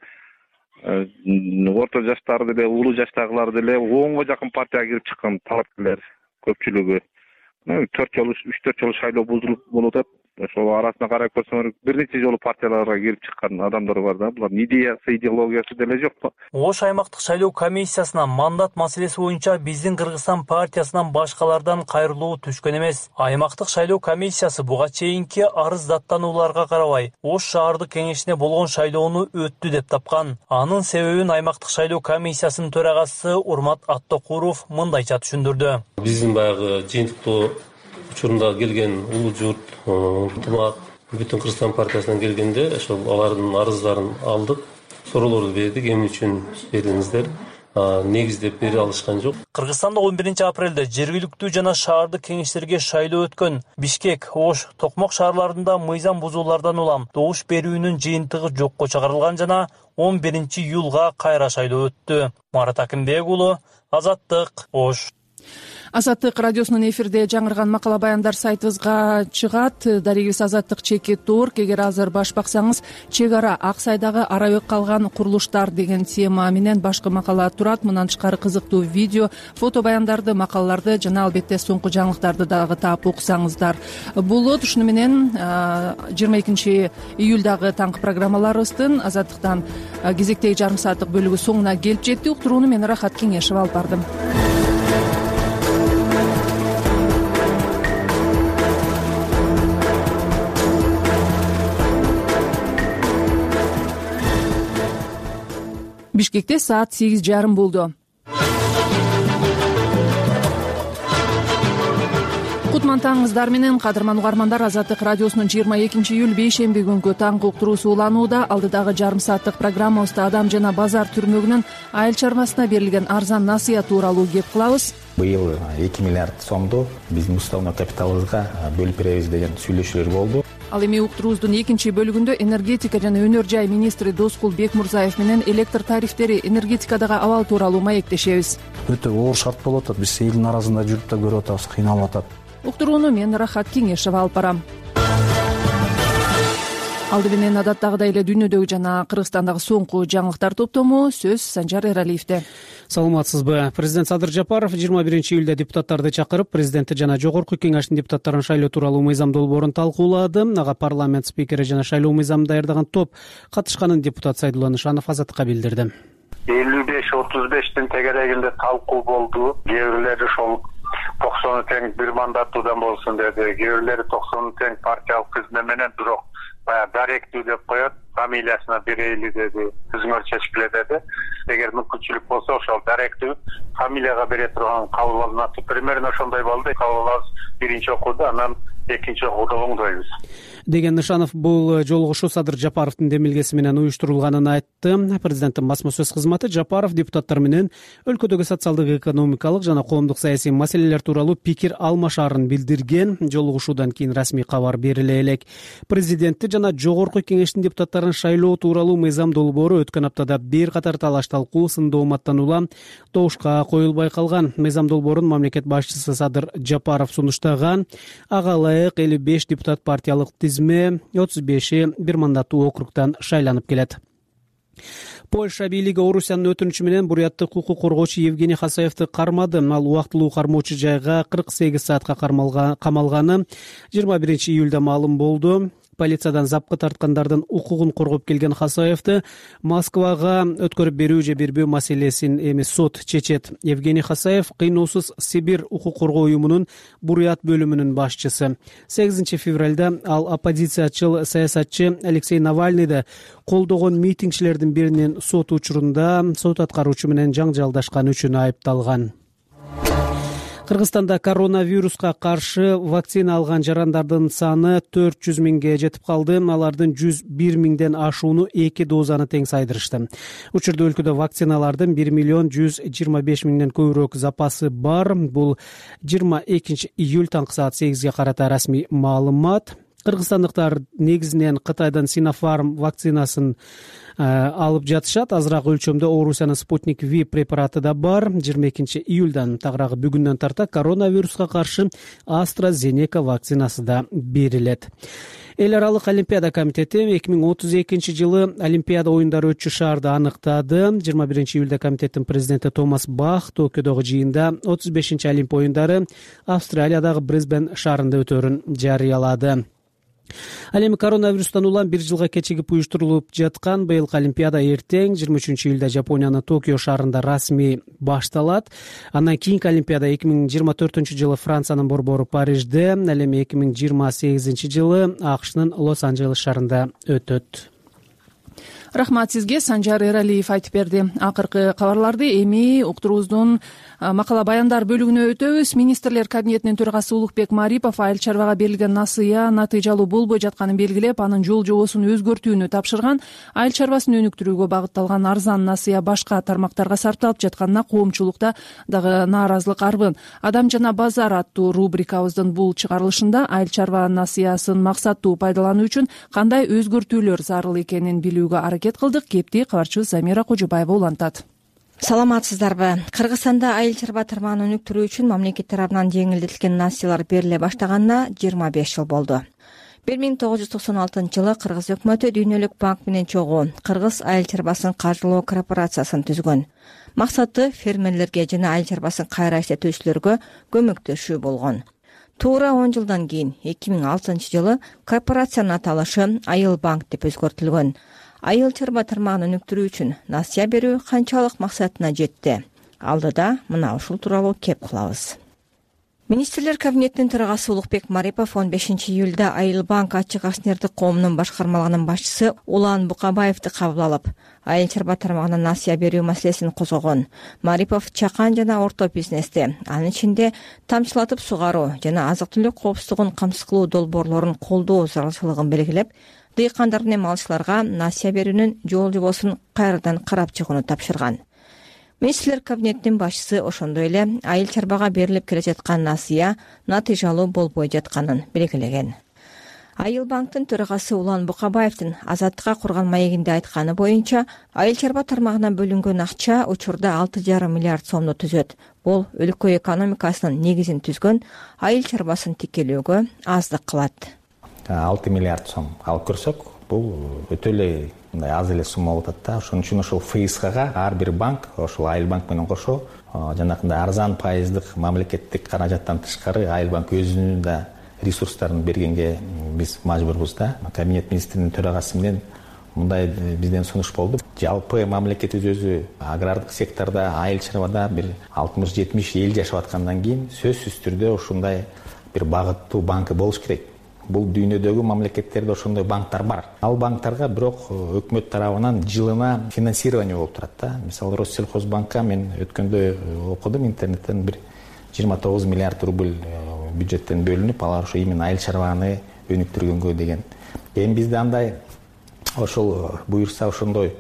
орто жаштары деле, улуу жаштагылар деле онго жакын партияга кирип чыккан талапкерлер көпчүлүгү. төрт жолу, үч төрт жолу шайлоо бузулуп болуп атат. Ошол арасына карап көрсөңөр бир нече жолу партияларга кирип чыккан адамдар бар да. Булардын идеясы, идеологиясы деле жок. Ош аймактык шайлоо комиссиясына мандат маселеси боюнча Биздин Кыргызстан партиясынан башкалардан кайрылуу түшкөн эмес. Аймактык шайлоо комиссиясы буга чейинки арыз даттанууларга карабай Ош шаардык кеңешине болгон шайлоону өттү деп тапкан. Анын себебин аймактык шайлоо комиссиясынын төрагасы Урмат Аттокуров мындайча түшүндүрдү. Биздин баягы жыйынтыктоо учурунда келген улуу журт, ынтымак, Бүтүн Кыргызстан партиясынан келгенде ошол алардын арыздарын алдык, суроолорду бердик, эмне үчүн бердиңиздер, негиздеп бере алышкан жок. Кыргызстанда он биринчи апрелде жергиликтүү жана шаардык кеңештерге шайлоо өткөн. Бишкек, Ош, Токмок шаарларында мыйзам бузуулардан улам добуш берүүнүн жыйынтыгы жокко чыгарылган жана он биринчи июлга кайра шайлоо өттү. Марат Акимбек уулу, Азаттык, Ош. Азаттык радиосунун эфирде жаңырган макала баяндар сайтыбызга чыгат. Дарегибиз Азаттык чекит орг. Эгер азыр баш баксаңыз, чек ара Ак Сайдагы арабек калган курулуштар деген тема менен башкы макала турат. Мындан тышкары кызыктуу видео, фото баяндарды, макалаларды жана албетте соңку жаңылыктарды дагы таап окусаңыздар болот. Ушуну менен жыйырма экинчи июлдагы таңкы программаларыбыздын Азаттыктан кезектеги жарым сааттык бөлүгү соңуна келип жетти. Уктурууну мен Рахат Кеңешева алып бардым. Бишкекте саат сегиз жарым болду. Кутман таңыңыздар менен, кадырман угармандар, Азаттык радиосунун жыйырма экинчи июль бейшемби күнгү таңкы уктуруусу уланууда. Алдыдагы жарым сааттык программабызда адам жана базар түрмөгүнүн айыл чарбасына берилген арзан насыя тууралуу кеп кылабыз. Быйыл эки миллиард сомду биздин уставный капиталыбызга бөлүп беребиз деген сүйлөшүүлөр болду. Ал эми уктуруубуздун экинчи бөлүгүндө энергетика жана өнөр жай министри Доскул Бекмурзаев менен электр тарифтери, энергетикадагы абал тууралуу маектешебиз. Өтө оор шарт болуп атат. Биз элдин арасында жүрүп да көрүп атабыз, кыйналып атат. Уктурууну мен Рахат Кеңешева алып барам. Алды менен адаттагыдай эле дүйнөдөгү жана Кыргызстандагы соңку жаңылыктар топтому. Сөз Санжар Эралиевде. Саламатсызбы. Президент Садыр Жапаров жыйырма биринчи июлда депутаттарды чакырып, президенти жана жогорку кеңештин депутаттарын шайлоо тууралуу мыйзам долбоорун талкуулады. Ага парламент спикери жана шайлоо мыйзамын даярдаган топ катышканын депутат Сайдулла Нышанов Азаттыкка билдирди. элүү беш отуз бештин тегерегинде талкуу болду. Кээ бирлери ошол токсону тең бир мандаттуудан болсун деди. Кээ бирлери токсону тең партиялык тизме менен, бирок баягы даректүү деп коет, фамилиясына берейли деди. Өзүңөр чечкиле деди. Эгер мүмкүнчүлүк болсо ошол даректүү фамилияга бере турган кабыл алынат. Примерно ошондой болду. Кабыл алабыз биринчи окууда, анан экинчи окууда оңдойбуз деген Нышанов бул жолугушуу Садыр Жапаровдун демилгеси менен уюштурулганын айтты. Президенттин басма сөз кызматы Жапаров депутаттар менен өлкөдөгү социалдык, экономикалык жана коомдук саясий маселелер тууралуу пикир алмашаарын билдирген. Жолугушуудан кийин расмий кабар бериле элек. Президентти жана жогорку кеңештин депутаттарын шайлоо тууралуу мыйзам долбоору өткөн аптада бир катар талаш талкуу, сын дооматтан улам добушка коюлбай калган. Мыйзам долбоорун мамлекет башчысы Садыр Жапаров сунуштаган. Ага ылайык элүү беш депутат партиялык тизме, отуз беши бир мандаттуу округдан шайланып келет. Польша бийлиги Орусиянын өтүнүчү менен буряттык укук коргоочу Евгений Хасаевди кармады. Ал убактылуу кармоочу жайга кырк сегиз саатка камалганы жыйырма биринчи июлда маалым болду. Полициядан запкы тарткандардын укугун коргоп келген Хасаевди Москвага өткөрүп берүү же бербөө маселесин эми сот чечет. Евгений Хасаев кыйноосуз Сибирь укук коргоо уюмунун бурят бөлүмүнүн башчысы. сегизинчи февралда ал оппозициячыл саясатчы Алексей Навальныйды колдогон митингчилердин биринин сот учурунда сот аткаруучу менен жаңжалдашкан үчүн айыпталган. Кыргызстанда коронавируска каршы вакцина алган жарандардын саны төрт жүз миңге жетип калды. Алардын жүз бир миңден ашууну эки дозаны тең сайдырышты. Учурда өлкөдө вакциналардын бир миллион жүз жыйырма беш миңден көбүрөөк запасы бар. Бул жыйырма экинчи июль таңкы саат сегизге карата расмий маалымат. Кыргызстандыктар негизинен Кытайдан Синофарм вакцинасын алып жатышат. Азыраак өлчөмдө Орусиянын Спутник Ви препараты да бар. жыйырма экинчи июлдан тагыраагы бүгүндөн тарта коронавируска каршы AstraZeneca вакцинасы да берилет. Эл аралык Олимпиада комитети эки миң отуз экинчи жылы Олимпиада оюндары өтчү шаарды аныктады. жыйырма биринчи июлда комитеттин президенти Томас Бах Токиодогу жыйында отуз бешинчи Олимп оюндары Австралиядагы Брисбен шаарында өтөөрүн жарыялады. Ал эми коронавирустан улам бир жылга кечигип уюштурулуп жаткан быйылкы Олимпиада эртең жыйырма үчүнчү июлда Жапониянын Токио шаарында расмий башталат. Андан кийинки Олимпиада эки миң жыйырма төртүнчү жылы Франциянын борбору Парижде, ал эми эки миң жыйырма сегизинчи жылы АКШнын Лос-Анджелес шаарында өтөт. Рахмат сизге. Санжар Эралиев айтып берди. Акыркы кабарларды эми уктуруубуздун макала баяндар бөлүгүнө өтөбүз. Министрлер кабинетинин төрагасы Улукбек Марипов айыл чарбага берилген насыя натыйжалуу болбой жатканын белгилеп, анын жол жобосун өзгөртүүнү тапшырган. Айыл чарбасын өнүктүрүүгө багытталган арзан насыя башка тармактарга сарпталып жатканына коомчулукта дагы нааразылык арбын. Адам жана базар аттуу рубрикабыздын бул чыгарылышында айыл чарба насыясын максаттуу пайдалануу үчүн кандай өзгөртүүлөр зарыл экенин билүүгө аракет кылдык. Кепти кабарчыбыз Замира Кожобаева улантат. Саламатсыздарбы? Кыргызстанда айыл чарба тармагын өнүктүрүү үчүн мамлекет тарабынан жеңилдетилген насыялар бериле баштаганына жыйырма беш жыл болду. бир миң тогуз жүз токсон алтынчы жылы Кыргыз өкмөтү Дүйнөлүк банк менен чогуу Кыргыз айыл чарбасын каржылоо корпорациясын түзгөн. Максаты фермерлерге жана айыл чарбасын кайра иштетүүчүлөргө көмөктөшүү болгон. Туура он жылдан кийин эки миң алтынчы жылы корпорациянын аталышы Айыл банк деп өзгөртүлгөн. Айыл чарба тармагын өнүктүрүү үчүн насыя берүү канчалык максатына жетти? Алдыда мына ушул тууралуу кеп кылабыз. Министрлер кабинетинин төрагасы Улукбек Марипов он бешинчи июлда Айыл банк ачык акционердик коомунун башкармалыгынын башчысы Улан Букабаевди кабыл алып, айыл чарба тармагына насыя берүү маселесин козгогон. Марипов чакан жана орто бизнести, анын ичинде тамчылатып сугаруу жана азык-түлүк коопсуздугун камсыз кылуу долбоорлорун колдоо зарылчылыгын белгилеп, дыйкандар менен малчыларга насыя берүүнүн жол жобосун кайрадан карап чыгууну тапшырган. Министрлер кабинетинин башчысы ошондой эле айыл чарбага берилип келе жаткан насыя натыйжалуу болбой жатканын белгилеген. Айыл банктын төрагасы Улан Букабаевдин Азаттыкка курган маегинде айтканы боюнча, айыл чарба тармагына бөлүнгөн акча учурда алты жарым миллиард сомду түзөт. Бул өлкө экономикасынын негизин түзгөн айыл чарбасын тикелөөгө аздык кылат. алты миллиард сом алып көрсөк, бул өтө эле мындай аз эле сумма болуп атат да. Ошон үчүн ошол ФСКга ар бир банк, ошол Айыл банк менен кошо, жанакындай арзан пайыздык мамлекеттик каражаттан тышкары Айыл банк өзүнүн да ресурстарын бергенге биз мажбурбуз да. Кабинет министринин төрагасы менен мындай бизден сунуш болду. Жалпы мамлекет өзү агрардык секторда, айыл чарбада бир алтымыш жетимиш эл жашап аткандан кийин сөзсүз түрдө ушундай бир багыттуу банкы болуш керек. Бул дүйнөдөгү мамлекеттерде ошондой банктар бар. Ал банктарга бирок өкмөт тарабынан жылына финансирование болуп турат да. Мисалы Россельхозбанкка мен өткөндө окудум интернеттен, бир жыйырма тогуз миллиард рубль бюджеттен бөлүнүп, алар ошо именно айыл чарбаны өнүктүргөнгө деген. Эми бизде андай ошол буюрса ошондой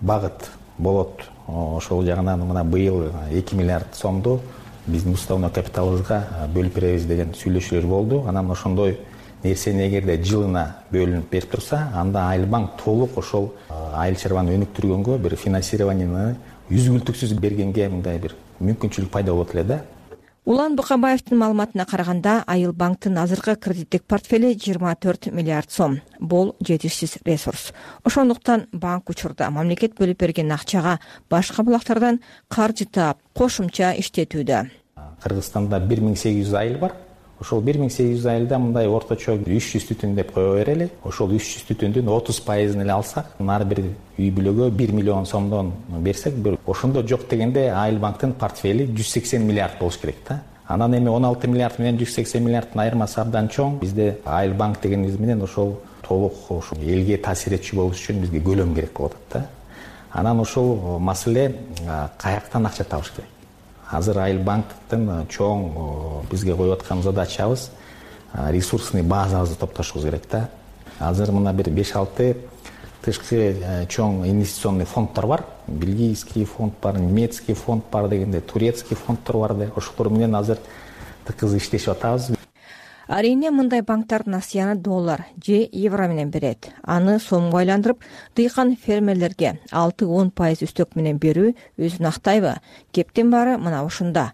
багыт болот. Ошол жагынан мына быйыл эки миллиард сомду биздин уставный капиталыбызга бөлүп беребиз деген сүйлөшүүлөр болду. Анан ошондой нерсени эгерде жылына бөлүнүп берип турса, анда Айыл банк толук ошол айыл чарбаны өнүктүргөнгө бир финансированияны үзгүлтүксүз бергенге мындай бир мүмкүнчүлүк пайда болот эле да. Улан Букабаевдин маалыматына караганда, Айыл банктын азыркы кредиттик портфели жыйырма төрт миллиард сом. Бул жетишсиз ресурс. Ошондуктан банк учурда мамлекет бөлүп берген акчага башка булактардан каржы таап, кошумча иштетүүдө. Кыргызстанда бир миң сегиз жүз айыл бар. Ошол бир миң сегиз жүз айылда мындай орточо үч жүз түтүн деп кое берели. Ошол үч жүз түтүндүн отуз пайызын эле алсак, ар бир үй бүлөгө бир миллион сомдон берсек, ошондо жок дегенде Айыл банктын портфели жүз сексен миллиард болуш керек да. Анан эми он алты миллиард менен жүз сексен миллиарддын айырмасы абдан чоң. Бизде Айыл банк дегенибиз менен ошол толук ошол элге таасир этчү болуш үчүн бизге көлөм керек болот да. Анан ошол маселе каяктан акча табыш керек. Азыр Айыл банктын чоң бизге коюп аткан задачабыз ресурсный базабызды топтошубуз керек да. Азыр мына бир беш алты тышкы чоң инвестиционный фонддор бар. Бельгийский фонд бар, немецкий фонд бар дегенде, турецкий фонддор бар да. Ошолор менен азыр тыкыз иштешип атабыз. Арийне мындай банктар насыяны доллар же евро менен берет. Аны сомго айландырып, дыйкан фермерлерге алты он пайыз үстөк менен берүү өзүн актайбы? Кептин баары мына ушунда.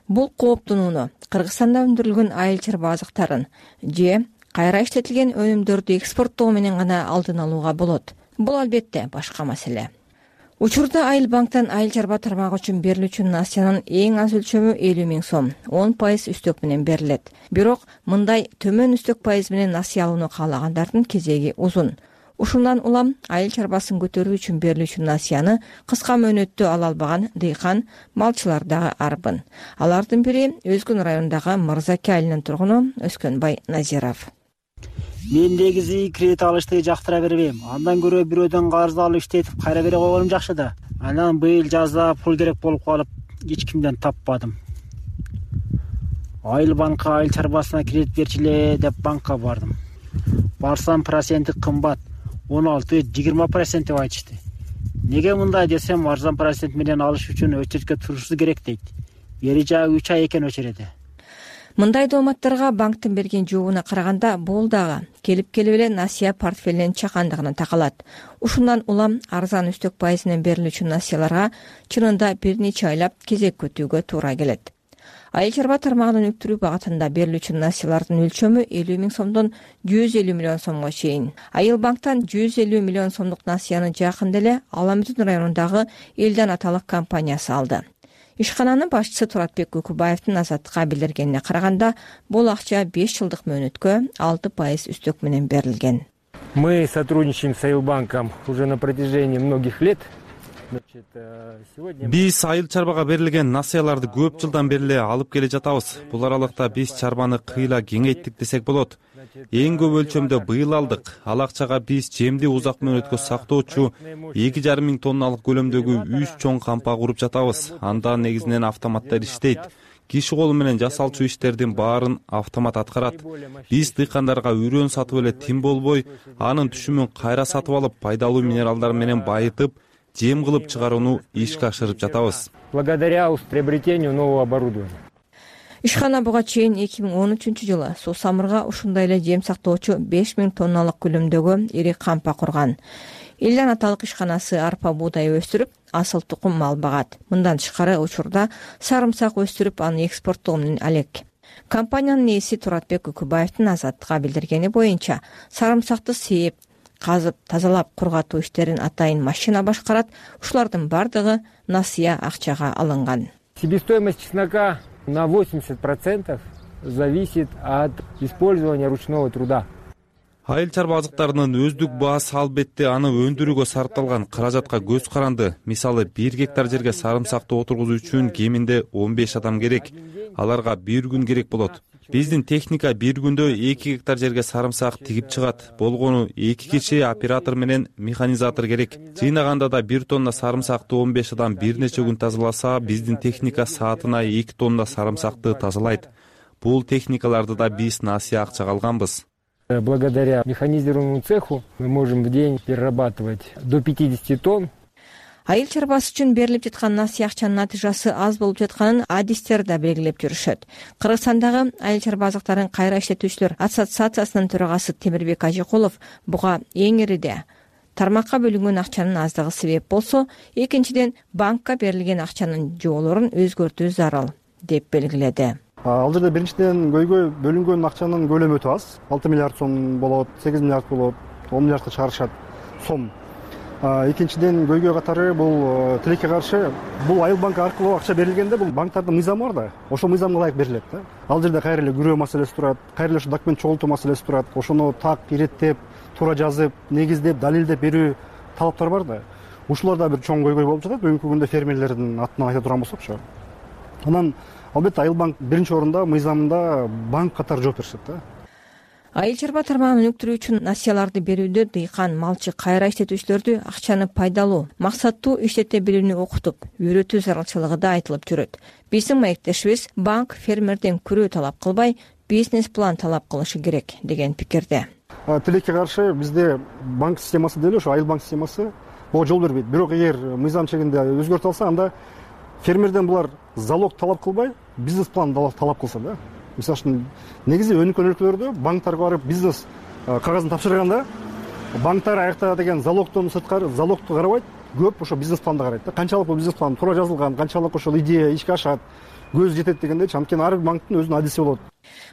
Бул кооптонууну Кыргызстанда өндүрүлгөн айыл чарба азыктарын же кайра иштетилген өнүмдөрдү экспорттоо менен гана алдын алууга болот. Бул албетте башка маселе. Учурда Айыл банктан айыл чарба тармагы үчүн берилүүчү насыянын эң аз өлчөмү элүү миң сом, он пайыз үстөк менен берилет. Бирок мындай төмөн үстөк пайыз менен насыя алууну каалагандардын кезеги узун. Ушундан улам айыл чарбасын көтөрүү үчүн берилүүчү насыяны кыска мөөнөттө ала албаган дыйкан, малчылар дагы арбын. Алардын бири Өзгөн районундагы Мырзаке айылынын тургуну Өскөнбай Назиров. мен негизи кредит алышты жактыра бербейм. Андан көрө бирөөдөн карыз алып иштетип кайра бере койгонум жакшы да. Анан быйыл жазда пул керек болуп калып эч кимден таппадым. Айыл банкка айыл чарбасына кредит берчиле деп банкка бардым. Барсам проценти кымбат, он алты жыйырма процент деп айтышты. Неге мындай десем, арзан процент менен алыш үчүн өчөткө турушубуз керек дейт. Бери жагы үч ай экен өчөрөдө. Мындай дооматтарга банктын берген жообуна караганда бул дагы келип келип эле насыя портфелинин чакандыгына такалат. Ушундан улам арзан үстөк пайызынан берилүүчү насыяларга чынында бир нече айлап кезек күтүүгө туура келет. Айыл чарба тармагынын өнүктүрүү багытында берилүүчү насыялардын өлчөмү элүү миң сомдон жүз элүү миллион сомго чейин. Айыл банктан жүз элүү миллион сомдук насыяны жакында эле Аламүтүн районундагы Элдан аталык компаниясы алды. Ишкананын башчысы Туратбек Үкүбаевдин Азаттыкка билдиргенине караганда, бул акча беш жылдык мөөнөткө алты пайыз үстөк менен берилген. Мы сотрудничаем с Айылбанком уже на протяжении многих лет. Биз айыл чарбага берилген насыяларды көп жылдан бери эле алып келе жатабыз. Бул аралыкта биз чарбаны кыйла кеңейттик десек болот. Эң көп өлчөмдө быйыл алдык. Ал акчага биз жемди узак мөөнөткө сактоочу эки жарым миң тонналык көлөмдөгү үч чоң кампа куруп жатабыз. Анда негизинен автоматтар иштейт. Киши колу менен жасалчу иштердин баарын автомат аткарат. Биз дыйкандарга үрөн сатып эле тим болбой, анын түшүмүн кайра сатып алып, пайдалуу минералдар менен байытып, жем кылып чыгарууну ишке ашырып жатабыз. Благодаря приобретению нового оборудования. Ишкана буга чейин эки миң он үчүнчү жылы Суу Самырга ушундай эле жем сактоочу беш миң тонналык көлөмдөгү ири кампа курган. Элдан аталык ишканасы арпа буудай өстүрүп, асыл тукум мал багат. Мындан тышкары учурда сарымсак өстүрүп, аны экспорттоо менен алек. Компаниянын ээси Туратбек Үкүбаевдин Азаттыкка билдиргени боюнча, сарымсакты сээп, казып, тазалап, кургатуу иштерин атайын машина башкарат. Ушулардын бардыгы насыя акчага алынган. Себестоимость чеснока на восемьдесят процентов зависит от использования ручного труда. Айыл чарба азыктарынын өздүк баасы албетте аны өндүрүүгө сарпталган каражатка көз каранды. Мисалы, бир гектар жерге сарымсакты отургузуу үчүн кеминде он беш адам керек. Аларга бир күн керек болот. Биздин техника бир күндө эки гектар жерге сарымсак тигип чыгат. Болгону эки киши оператор менен механизатор керек. Жыйнаганда да бир тонна сарымсакты он беш адам бир нече күн тазаласа, биздин техника саатына эки тонна сарымсакты тазалайт. Бул техникаларды да биз насыя акчага алганбыз. Благодаря механизированному цеху мы можем в день перерабатывать до пятидесяти тонн. Айыл чарбасы үчүн берилип жаткан насыя акчанын натыйжасы аз болуп жатканын адистер да белгилеп жүрүшөт. Кыргызстандагы айыл чарба азыктарын кайра иштетүүчүлөр ассоциациясынын төрагасы Темирбек Ажыкулов буга эң ириде тармакка бөлүнгөн акчанын аздыгы себеп болсо, экинчиден банкка берилген акчанын жоолорун өзгөртүү зарыл деп белгиледи. Ал жерде биринчиден көйгөй бөлүнгөн акчанын көлөмү өтө аз. алты миллиард сом болот, сегиз миллиард болот, он миллиардка чыгарышат сом. Экинчиден көйгөй катары бул тилекке каршы бул Айыл банкы аркылуу акча берилгенде бул банктардын мыйзамы бар да. Ошол мыйзамга ылайык берилет да. Ал жерде кайра эле күрөө маселеси турат, кайра эле ошо документ чогултуу маселеси турат. Ошону так иреттеп, туура жазып, негиздеп, далилдеп берүү талаптар бар да. Ушуларда бир чоң көйгөй болуп жатат. Бүгүнкү күндө фермерлердин атынан айта турган болсокчу. Анан албетте Айыл банк биринчи орунда мыйзамында банк катары жооп беришет да. Айыл чарба тармагын өнүктүрүү үчүн насыяларды берүүдө дыйкан, малчы, кайра иштетүүчүлөрдү акчаны пайдалуу, максаттуу иштете билүүнү окутуп, үйрөтүү зарылчылыгы да айтылып жүрөт. Биздин маектешибиз банк фермерден күрөө талап кылбай, бизнес план талап кылышы керек деген пикирде. Тилекке каршы бизде банк системасы деле ошо Айыл банк системасы буга жол бербейт. Бирок эгер мыйзам чегинде өзгөртүп алса, анда фермерден булар залог талап кылбай, бизнес план талап кылса да. Мисалы үчүн негизи өнүккөн өлкөлөрдө банктарга барып бизнес кагазын тапшырганда, банктар аякта деген залогтон сырткары залогту карабайт, көп ошо бизнес планды карайт да. Канчалык бул бизнес план туура жазылган, канчалык ошол идея ишке ашат, көз жетет дегендечи. Анткени ар бир банктын өзүнүн адиси болот.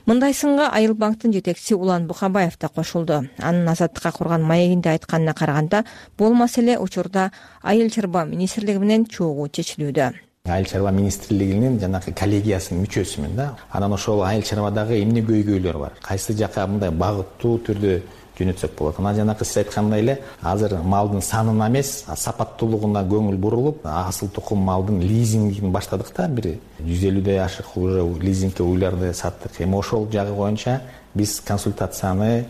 Мындай сынга Айыл банктын жетекчиси Улан Букабаев да кошулду. Анын Азаттыкка курган маегинде айтканына караганда, бул маселе учурда Айыл чарба министрлиги менен чогуу чечилүүдө. Айыл чарба министрлигинин жанагы коллегиясынын мүчөсүмүн да. Анан ошол айыл чарбадагы эмне көйгөйлөр бар, кайсы жака мындай багыттуу түрдө жөнөтсөк болот. Анан жанакы сиз айткандай эле азыр малдын санына эмес, сапаттуулугуна көңүл бурулуп, асыл тукум малдын лизингин баштадык да. Бир жүз элүүдөн ашык уже лизингке уйларды саттык. Эми ошол жагы боюнча биз консультацияны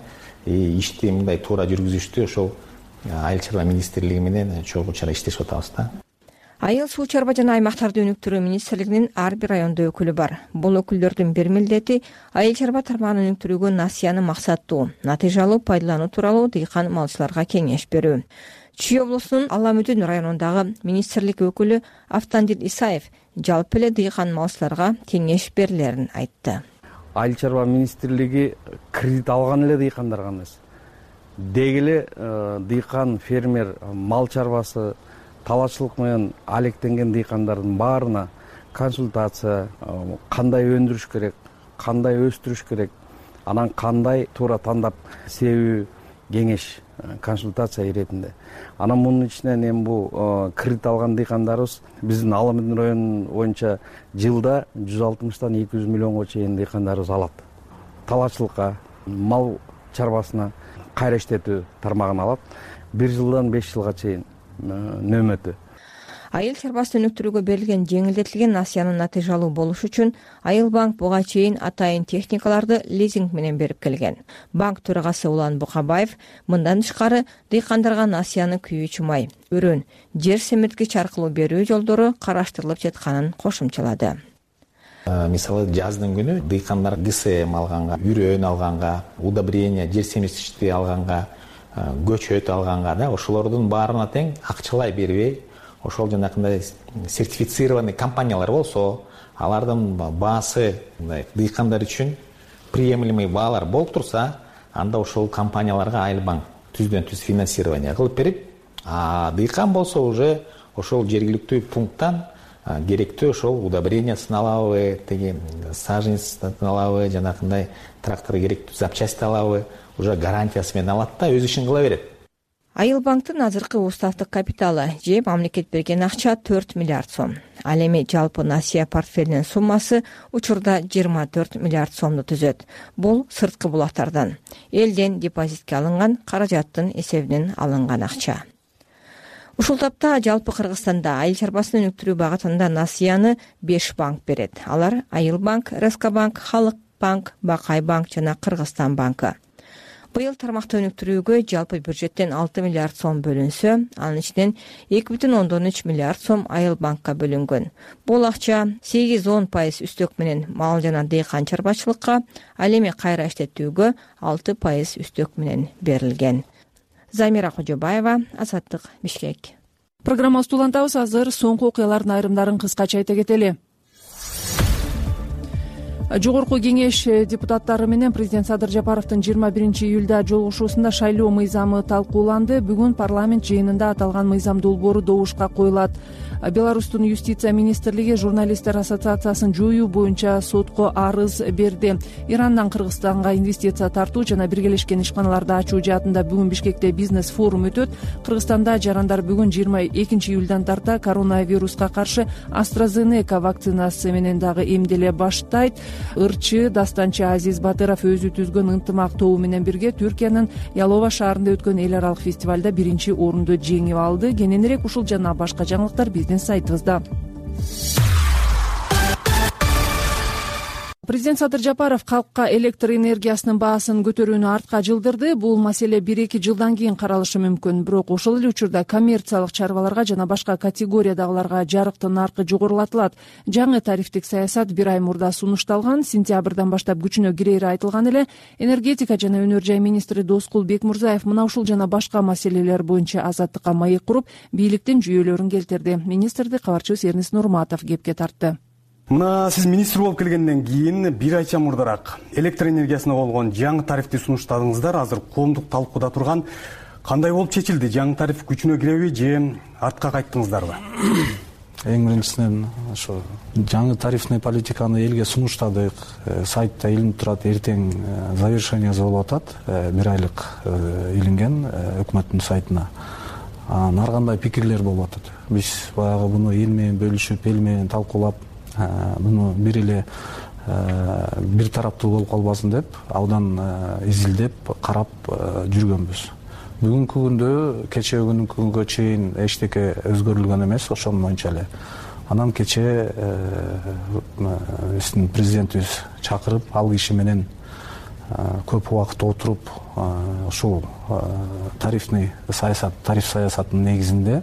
ишти мындай туура жүргүзүштү ошол айыл чарба министрлиги менен чогуу чара иштешип атабыз да. Айыл суу чарба жана аймактарды өнүктүрүү министрлигинин ар бир райондо өкүлү бар. Бул өкүлдөрдүн бир милдети айыл чарба тармагын өнүктүрүүгө насыяны максаттуу, натыйжалуу пайдалануу тууралуу дыйкан малчыларга кеңеш берүү. Чүй облусунун Аламүдүн районундагы министрлик өкүлү Автандил Исаев жалпы эле дыйкан малчыларга кеңеш берилерин айтты. Айыл чарба министрлиги кредит алган эле дыйкандарга эмес. Деги эле дыйкан, фермер, мал чарбасы, талаачылык менен алектенген дыйкандардын баарына консультация, кандай өндүрүш керек, кандай өстүрүш керек, анан кандай туура тандап себүү кеңеш, консультация иретинде. Анан мунун ичинен эми бул кредит алган дыйкандарыбыз биздин Аламүдүн району боюнча жылда жүз алтымыштан эки жүз миллионго чейин дыйкандарыбыз алат. Талаачылыкка, мал чарбасына кайра иштетүү тармагын алат. Бир жылдан беш жылга чейин нөмөтү. Айыл чарбасын өнүктүрүүгө берилген жеңилдетилген насыянын натыйжалуу болушу үчүн Айыл банк буга чейин атайын техникаларды лизинг менен берип келген. Банк төрагасы Улан Букабаев мындан тышкары дыйкандарга насыяны күйүүчү май, өрөн, жер семирткич аркылуу берүү жолдору караштырылып жатканын кошумчалады. Мисалы жаздын күнү дыйкандар ГСМ алганга, үрөн алганга, удобрение, жер семирткичти алганга, көчөт алганга да ошолордун баарына тең акчалай бербей, ошол жанакындай сертифицированный компаниялар болсо, алардын баасы дыйкандар үчүн приемлемый баалар болуп турса, анда ошол компанияларга Айыл банк түздөн түз финансирование кылып берип, а дыйкан болсо уже ошол жергиликтүү пункттан керектүү ошол удобрениясын алабы, теги саженецин алабы, жанакындай трактор керектүү запчасть алабы, уже гарантиясы менен алат да өз ишин кыла берет. Айыл банктын азыркы уставдык капиталы же мамлекет берген акча төрт миллиард сом. Ал эми жалпы насыя портфелинин суммасы учурда жыйырма төрт миллиард сомду түзөт. Бул сырткы булактардан, элден депозитке алынган каражаттын эсебинен алынган акча. Ушул тапта жалпы Кыргызстанда айыл чарбасын өнүктүрүү багытында насыяны беш банк берет. Алар Айыл банк, Рескобанк, Халык банк, Бакай банк жана Кыргызстан банкы. Быйыл тармакты өнүктүрүүгө жалпы бюджеттен алты миллиард сом бөлүнсө, анын ичинен эки бүтүн ондон үч миллиард сом Айыл банкка бөлүнгөн. Бул акча сегиз он пайыз үстөк менен мал жана дыйкан чарбачылыкка, ал эми кайра иштетүүгө алты пайыз үстөк менен берилген. Замира Кожобаева, Азаттык, Бишкек. Программабызды улантабыз. Азыр соңку окуялардын айрымдарын кыскача айта кетели. Жогорку кеңеш депутаттары менен президент Садыр Жапаровдун жыйырма биринчи июлда жолугушуусунда шайлоо мыйзамы талкууланды. Бүгүн парламент жыйынында аталган мыйзам долбоору добушка коюлат. Беларустун юстиция министрлиги журналисттер ассоциациясын жоюу боюнча сотко арыз берди. Ирандан Кыргызстанга инвестиция тартуу жана биргелешкен ишканаларды ачуу жаатында бүгүн Бишкекте бизнес форум өтөт. Кыргызстанда жарандар бүгүн жыйырма экинчи июлдан тарта коронавируска каршы AstraZeneca вакцинасы менен дагы эмделе баштайт. Ырчы Дастанчы Азиз Батыров өзү түзгөн ынтымак тобу менен бирге Түркиянын Ялова шаарында өткөн эл аралык фестивалда биринчи орунду жеңип алды. Кененирээк ушул жана башка жаңылыктар биздин сайтыбызда. Президент Садыр Жапаров калкка электр энергиясынын баасын көтөрүүнү артка жылдырды. Бул маселе бир эки жылдан кийин каралышы мүмкүн. Бирок ошол эле учурда коммерциялык чарбаларга жана башка категориядагыларга жарыктын наркы жогорулатылат. Жаңы тарифтик саясат бир ай мурда сунушталган. Сентябрдан баштап күчүнө кирери айтылган эле. Энергетика жана өнөр жай министри Доскул Бекмурзаев мына ушул жана башка маселелер боюнча Азаттыкка маек куруп, бийликтин жүйөлөрүн келтирди. Министрди кабарчыбыз Эрнис Нурматов кепке тартты. Мына сиз министр болуп келгенден кийин бир айча мурдараак электр энергиясына болгон жаңы тарифти сунуштадыңыздар. Азыр коомдук талкууда турган кандай болуп чечилди? Жаңы тариф күчүнө киреби же артка кайттыңыздарбы? Эң биринчисинен ошо жаңы тарифный политиканы элге сунуштадык. Сайтта илинип турат, эртең завершениясы болуп атат. Бир айлык илинген өкмөттүн сайтына. Ар кандай пикирлер болуп атат. Биз баягы буну эл менен бөлүшүп, эл менен талкуулап, буну бир эле бир тараптуу болуп калбасын деп, абдан изилдеп, карап жүргөнбүз. Бүгүнкү күндө, кечээ күнүнкү күнгө чейин эчтеке өзгөрүлгөн эмес, ошон боюнча эле. Анан кечээ биздин президентибиз чакырып, ал киши менен көп убакыт отуруп ушул тарифный саясат тариф саясатынын негизинде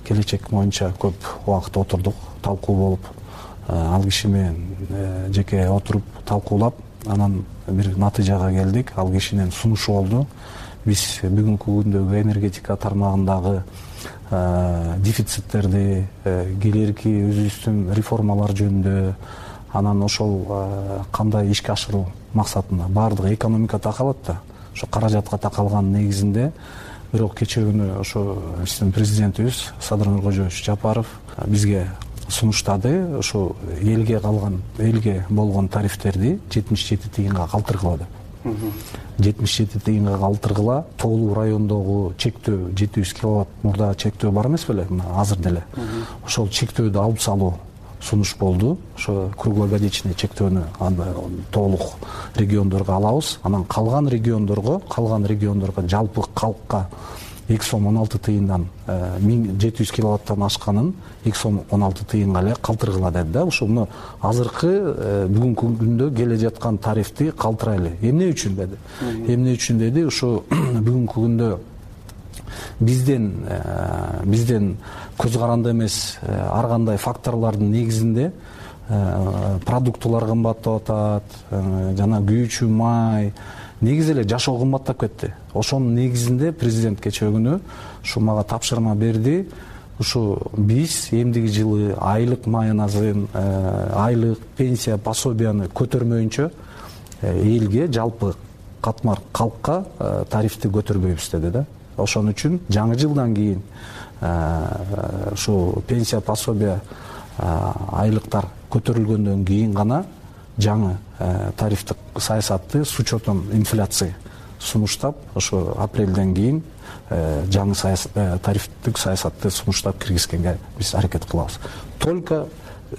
келечек боюнча көп убакыт отурдук, талкуу болуп, ал киши менен жеке отуруп талкуулап, анан бир натыйжага келдик. Ал кишинин сунушу болду. Биз бүгүнкү күндөгү энергетика тармагындагы дефициттерди, келерки өзүбүздүн реформалар жөнүндө, анан ошол кандай ишке ашыруу максатында баардыгы экономика такалат да, ошо каражатка такалган негизинде. Бирок кечээ күнү ошо биздин президентибиз Садыр Нуркожоевич Жапаров бизге сунуштады. Ошо элге калган, элге болгон тарифтерди жетимиш жети тыйынга калтыргыла деп. жетимиш жети тыйынга калтыргыла. Тоолуу райондогу чектөө жети жүз киловатт мурда чектөө бар эмес беле, азыр деле. Ошол чектөөдү алып салуу сунуш болду. Ошо круглогодичный чектөөнү толук региондорго алабыз. Анан калган региондорго, калган региондорго жалпы калкка эки сом он алты тыйындан жети жүз киловаттан ашканын эки сом он алты тыйынга эле калтыргыла деди да. Ошону азыркы бүгүнкү күндө келе жаткан тарифти калтырайлы. Эмне үчүн деди? Эмне үчүн деди? Ошо бүгүнкү күндө бизден бизден көз каранды эмес ар кандай факторлордун негизинде продуктылар кымбаттап атат, жана күйүүчү май, негизи эле жашоо кымбаттап кетти. Ошонун негизинде президент кечээ күнү ушу мага тапшырма берди. Ушу биз эмдиги жылы айлык майоназын, айлык пенсия пособияны көтөрмөйүнчө элге жалпы катмар калкка тарифти көтөрбөйбүз деди да. Ошон үчүн жаңы жылдан кийин ушу пенсия пособия айлыктар көтөрүлгөндөн кийин гана жаңы тарифтик саясатты с учетом инфляции сунуштап, ошо апрелден кийин жаңы тарифтик саясатты сунуштап киргизгенге биз аракет кылабыз. Только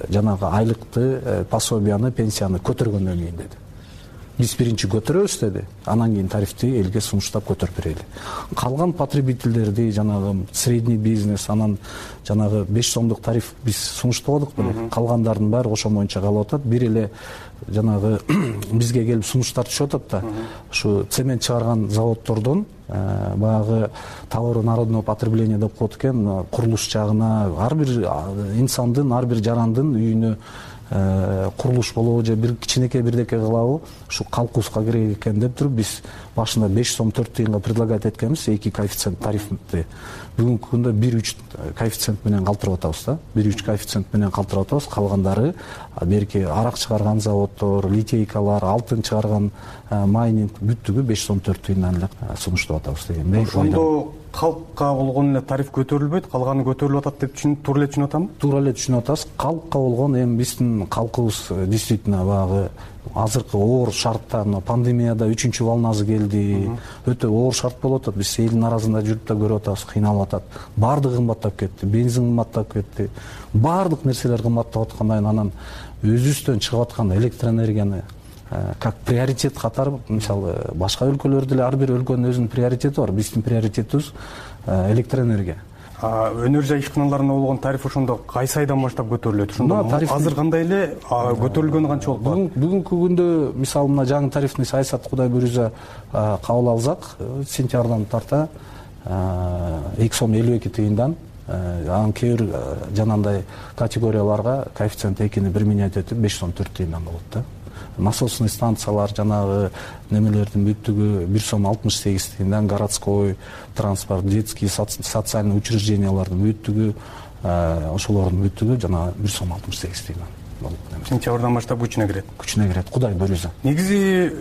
жанагы айлыкты, пособияны, пенсияны көтөргөндөн кийин деди. Биз биринчи көтөрөбүз деди, анан кийин тарифти элге сунуштап көтөрүп берели. Калган потребительдерди, жанагы средний бизнес, анан жанагы беш сомдук тариф биз сунуштабадык беле. Калгандардын баары ошо боюнча калып атат. Бир эле жанагы бизге келип сунуштар түшүп атат да. Ушу цемент чыгарган заводдордон баягы товары народного потребления деп коет экен, курулуш жагына ар бир инсандын, ар бир жарандын үйүнө курулуш болобу же бир кичинекей бирдеке кылабы, ушу калкуусга керек экен деп туруп биз башында беш сом төрт тыйынга предлагать эткенбиз эки коэффициент тарифти. Бүгүнкү күндө бир үч коэффициент менен калтырып атабыз да. бир үч коэффициент менен калтырып атабыз. Калгандары берки арак чыгарган заводдор, литейкалар, алтын чыгарган майнинг бүттүгү беш сом төрт тыйындан эле сунуштап атабыз дегендей. Ошондо калкка болгон эле тариф көтөрүлбөйт, калганы көтөрүлүп атат деп түшүнүп, туура эле түшүнүп атамбы? Туура эле түшүнүп атасыз. Калкка болгон эми биздин калкыбыз действительно баягы азыркы оор шартта, пандемияда үчүнчү волнасы келди, өтө оор шарт болуп атат. Биз элдин арасында жүрүп да көрүп атабыз, кыйналып атат. Баардыгы кымбаттап кетти, бензин кымбаттап кетти, баардык нерселер кымбаттап аткандан анан өзүбүздөн чыгып аткан электроэнергияны как приоритет катары, мисалы башка өлкөлөрдө эле ар бир өлкөнүн өзүнүн приоритети бар. Биздин приоритетибиз электроэнергия. Өнөр жай ишканаларына болгон тариф ошондо кайсы айдан баштап көтөрүлөт? Ошондо азыр кандай эле көтөрүлгөнү канча болуп калат? Бүгүнкү күндө мисалы мына жаңы тарифный саясат Кудай буйрса кабыл алсак, сентябрдан тарта эки сом элүү эки тыйындан, анан кээ бир жанагындай категорияларга коэффициент экини бир менять этип беш сом төрт тыйындан болот да. Насосный станциялар, жанагы немелердин бүттүгү бир сом алтымыш сегиз тыйындан, городской транспорт, детский социальный учреждениялардын бүттүгү, ошолордун бүттүгү жана бир сом алтымыш сегиз тыйындан болот. Сентябрдан баштап күчүнө кирет. Күчүнө кирет, Кудай буйрса. Негизи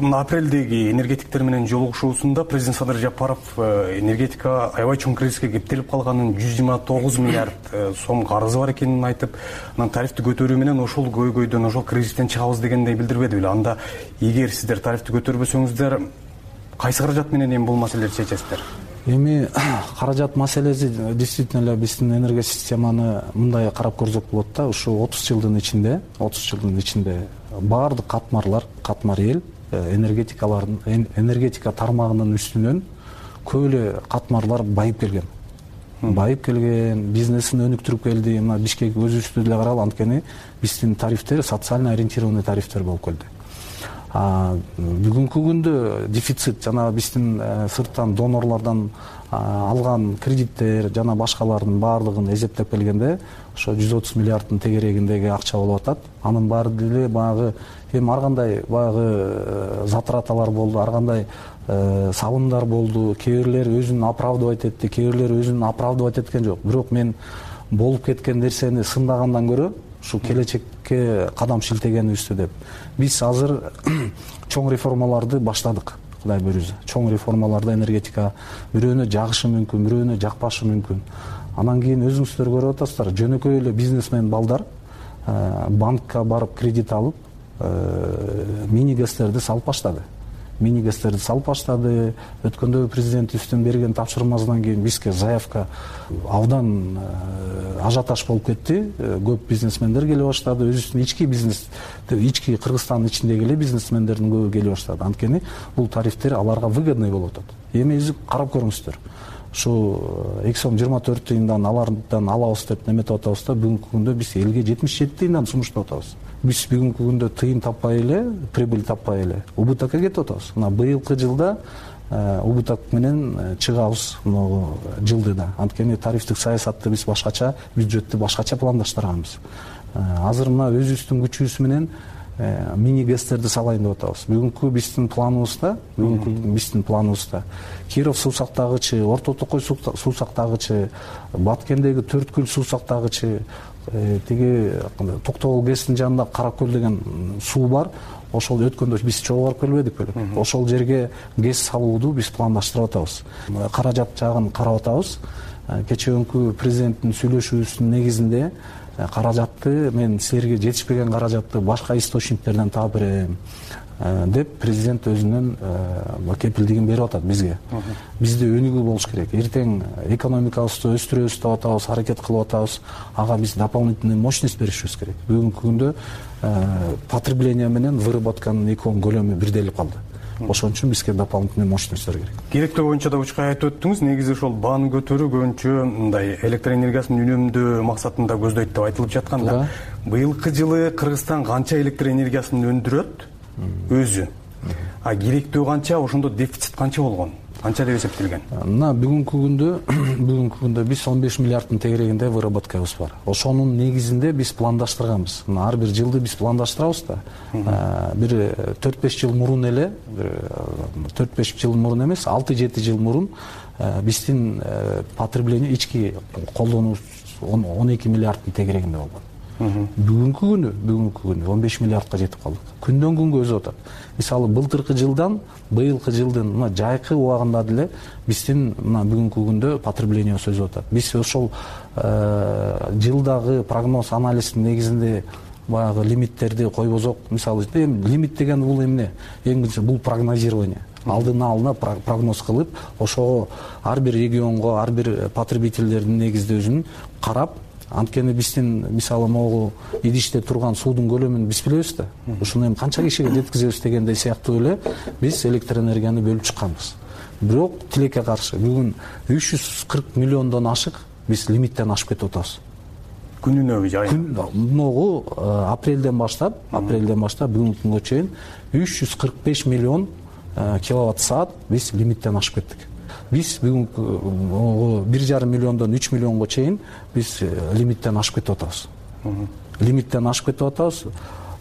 мына апрелдеги энергетиктер менен жолугушуусунда президент Садыр Жапаров энергетика аябай чоң кризиске кептелип калганын, жүз жыйырма тогуз миллиард сом карызы бар экенин айтып, анан тарифти көтөрүү менен ошол көйгөйдөн, ошол кризистен чыгабыз дегендей билдирбеди беле. Анда эгер сиздер тарифти көтөрбөсөңүздөр кайсы каражат менен эми бул маселелерди чечесиздер? Эми каражат маселеси действительно эле биздин энергия системаны мындай карап көрсөк болот да. Ушу отуз жылдын ичинде, отуз жылдын ичинде баардык катмарлар, катмар эл энергетикалардын, энергетика тармагынын үстүнөн көп эле катмарлар байып келген. Байып келген, бизнесин өнүктүрүп келди. Мына Бишкек өзүбүздү деле карагыла, анткени биздин тарифтер социально ориентированный тарифтер болуп келди. бүгүнкү күндө дефицит жана биздин сырттан донорлордон алган кредиттер жана башкалардын баардыгын эсептеп келгенде ошо жүз отуз миллиарддын тегерегиндеги акча болуп атат. Анын баары деле баягы эми ар кандай баягы затраталар болду, ар кандай сабындар болду. Кээ бирлер өзүн оправдывать этти, кээ бирлер өзүн оправдывать эткен жок. Бирок мен болуп кеткен нерсени сындагандан көрө ушу келечекке кадам шилтегенибизди деп биз азыр чоң реформаларды баштадык. Кудай буйрса, чоң реформаларда энергетика бирөөнө жагышы мүмкүн, бирөөнө жакпашы мүмкүн. Анан кийин өзүңүздөр көрүп атасыздар, жөнөкөй эле бизнесмен балдар банкка барып кредит алып, мини гэстерди салып баштады. Мини гэстерди салып баштады. Өткөндө президентибиздин берген тапшырмасынан кийин бизге заявка абдан ажиотаж болуп кетти. Көп бизнесмендер келе баштады. Өзүбүздүн ички бизнес, ички Кыргызстандын ичиндеги эле бизнесмендердин көбү келе баштады. Анткени бул тарифтер аларга выгодный болуп атат. Эми өзү карап көрүңүздөр. Ушу эки сом жыйырма төрт тыйындан алардан алабыз деп неметип атабыз да, бүгүнкү күндө биз элге жетимиш жети тыйындан сунуштап атабыз. Биз бүгүнкү күндө тыйын таппай эле, прибыль таппай эле убытокко кетип атабыз. Мына быйылкы жылда убыток менен чыгабыз могу жылды да. Анткени тарифтик саясатты биз башкача, бюджетти башкача пландаштырганбыз. Азыр мына өзүбүздүн күчүбүз менен мини гэстерди салайын деп атабыз. Бүгүнкү биздин планыбызда, бүгүнкү биздин планыбызда Киров суусактагычы, Орто Токой суусактагычы, Баткендеги Төрткүл суусактагычы, тиги Токтогул гэстин жанында Каракөл деген суу бар. Ошол өткөндө биз чогуу барып келбедик беле. Ошол жерге гэс салууду биз пландаштырып атабыз. Каражат жагын карап атабыз. Кечээ президенттин сүйлөшүүсүнүн негизинде каражатты мен силерге жетишпеген каражатты башка источниктерден таап берем деп президент өзүнүн кепилдигин берип атат бизге. Бизде өнүгүү болуш керек. Эртең экономикабызды өстүрөбүз деп атабыз, аракет кылып атабыз. Ага биз дополнительный мощность беришибиз керек. Бүгүнкү күндө потребление менен выработканын экөөнүн көлөмү бирделип калды. Ошон үчүн бизге дополнительный мощностьтер керек. Керектөө боюнча да учкай айтып өттүңүз. Негизи ошол бааны көтөрүү көбүнчө мындай электр энергиясын үнөмдөө максатында көздөйт деп айтылып жатканда, быйылкы жылы Кыргызстан канча электр энергиясын өндүрөт өзү? А керектөө канча, ошондо дефицит канча болгон? Канча деп эсептелген? Мына бүгүнкү күндө бүгүнкү күндө биз он беш миллиарддын тегерегинде выработкабыз бар. Ошонун негизинде биз пландаштырганбыз. Мына ар бир жылды биз пландаштырабыз да. Бир төрт беш жыл мурун эле, төрт беш жыл мурун эмес, алты жети жыл мурун биздин потребление ички колдонуубуз он эки миллиарддын тегерегинде болгон. Бүгүнкү күнү, бүгүнкү күнү он беш миллиардка жетип калдык. Күндөн күнгө өсүп атат. Мисалы былтыркы жылдан быйылкы жылдын мына жайкы убагында деле биздин мына бүгүнкү күндө потребление өсүп атат. Биз ошол жылдагы прогноз анализдин негизинде баягы лимиттерди койбосок, мисалы эми лимит деген бул эмне? Эң биринчи бул прогнозирование. Алдын ала прогноз кылып, ошого ар бир регионго, ар бир потребительдердин негизде өзүн карап, анткени биздин мисалы могу идиште турган суудун көлөмүн биз билебиз да. Ушуну эми канча кишиге жеткизебиз дегендей сыяктуу эле биз электр энергияны бөлүп чыкканбыз. Бирок тилекке каршы бүгүн үч жүз кырк миллиондон ашык биз лимиттен ашып кетип атабыз. Күнүнө жай. Могу апрелден баштап, апрелден баштап бүгүнкү күнгө чейин үч жүз кырк беш миллион киловатт саат биз лимиттен ашып кеттик. Биз бүгүнкү бир жарым миллиондон үч миллионго чейин биз лимиттен ашып кетип атабыз. Лимиттен ашып кетип атабыз.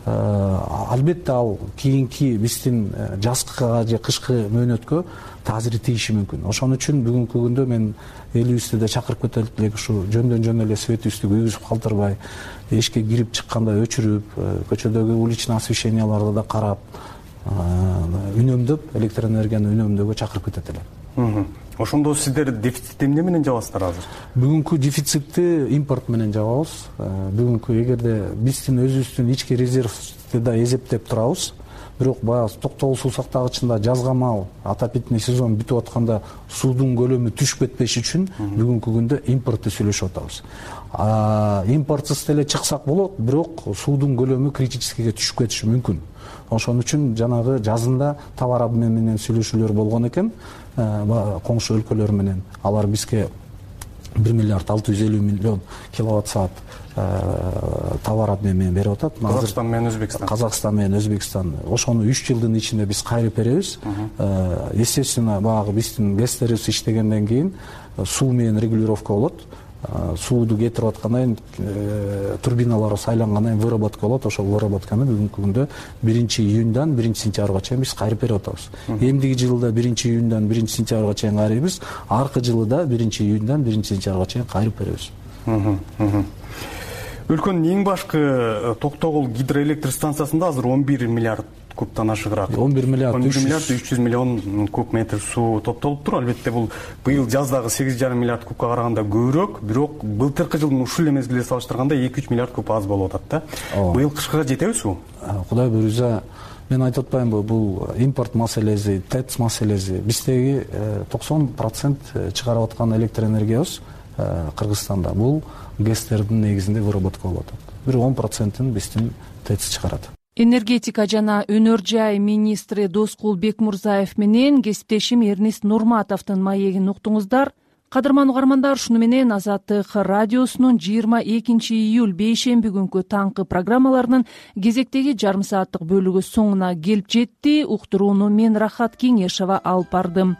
Албетте ал кийинки биздин жазкыга же кышкы мөөнөткө таасири тийиши мүмкүн. Ошон үчүн бүгүнкү күндө мен элибизди да чакырып кетелик элек, ушу жөндөн жөн эле светибизди күйгүзүп калтырбай, эшикке кирип чыкканда өчүрүп, көчөдөгү уличный освещенияларды да карап, үнөмдөп, электр энергияны үнөмдөөгө чакырып кетет элем. Ошондо сиздер дефицитти эмне менен жабасыздар азыр? Бүгүнкү дефицитти импорт менен жабабыз. Бүгүнкү эгерде биздин өзүбүздүн ички резервди да эсептеп турабыз, бирок баягы Токтогул суусактагычында жазга маал отопительный сезон бүтүп атканда суудун көлөмү түшүп кетпеш үчүн бүгүнкү күндө импортты сүйлөшүп атабыз. Импортсуз деле чыксак болот, бирок суудун көлөмү критическийге түшүп кетиши мүмкүн. Ошон үчүн жанагы жазында товар обмен менен сүйлөшүүлөр болгон экен коңшу өлкөлөр менен. Алар бизге бир миллиард алты жүз элүү миллион киловатт саат товар обмен менен берип атат. Казакстан менен Өзбекстан. Казакстан менен Өзбекстан. Ошону үч жылдын ичинде биз кайрып беребиз. Естественно, баягы биздин гэстерибиз иштегенден кийин суу менен регулировка болот. Сууду кетирип аткандан кийин турбиналар сайлангандан кийин выработка болот. Ошол выработканы бүгүнкү күндө биринчи июндан биринчи сентябрга чейин биз кайрып берип атабыз. Эмдиги жылы да биринчи июндан биринчи сентябрга чейин кайрыйбыз. Аркы жылы да биринчи июндан биринчи сентябрга чейин кайрып беребиз. Өлкөнүн эң башкы Токтогул гидроэлектр станциясында азыр он бир миллиард кубтан ашыгыраак он бир миллиард үч жүз миллион куб метр суу топтолуптур. Албетте бул быйыл жаздагы сегиз жарым миллиард кубка караганда көбүрөөк, бирок былтыркы жылдын ушул эле мезгилине салыштырганда эки үч миллиард куб аз болуп атат да. Быйыл кышкыга жетеби суу? Кудай буйрса, мен айтып атпаймынбы, бул импорт маселеси, ТЭЦ маселеси. Биздеги токсон процент чыгарып аткан электр энергиябыз Кыргызстанда бул гэстердин негизинде выработка болуп атат. Бир он процентин биздин ТЭЦ чыгарат. Энергетика жана өнөр жай министри Доскул Бекмурзаев менен кесиптешим Эрнист Нурматовдун маегин уктуңуздар. Кадырман угармандар, ушуну менен Азаттык радиосунун жыйырма экинчи июль бейшемби күнкү таңкы программаларынын кезектеги жарым сааттык бөлүгү соңуна келип жетти. Уктурууну мен Рахат Кеңешова алып бардым.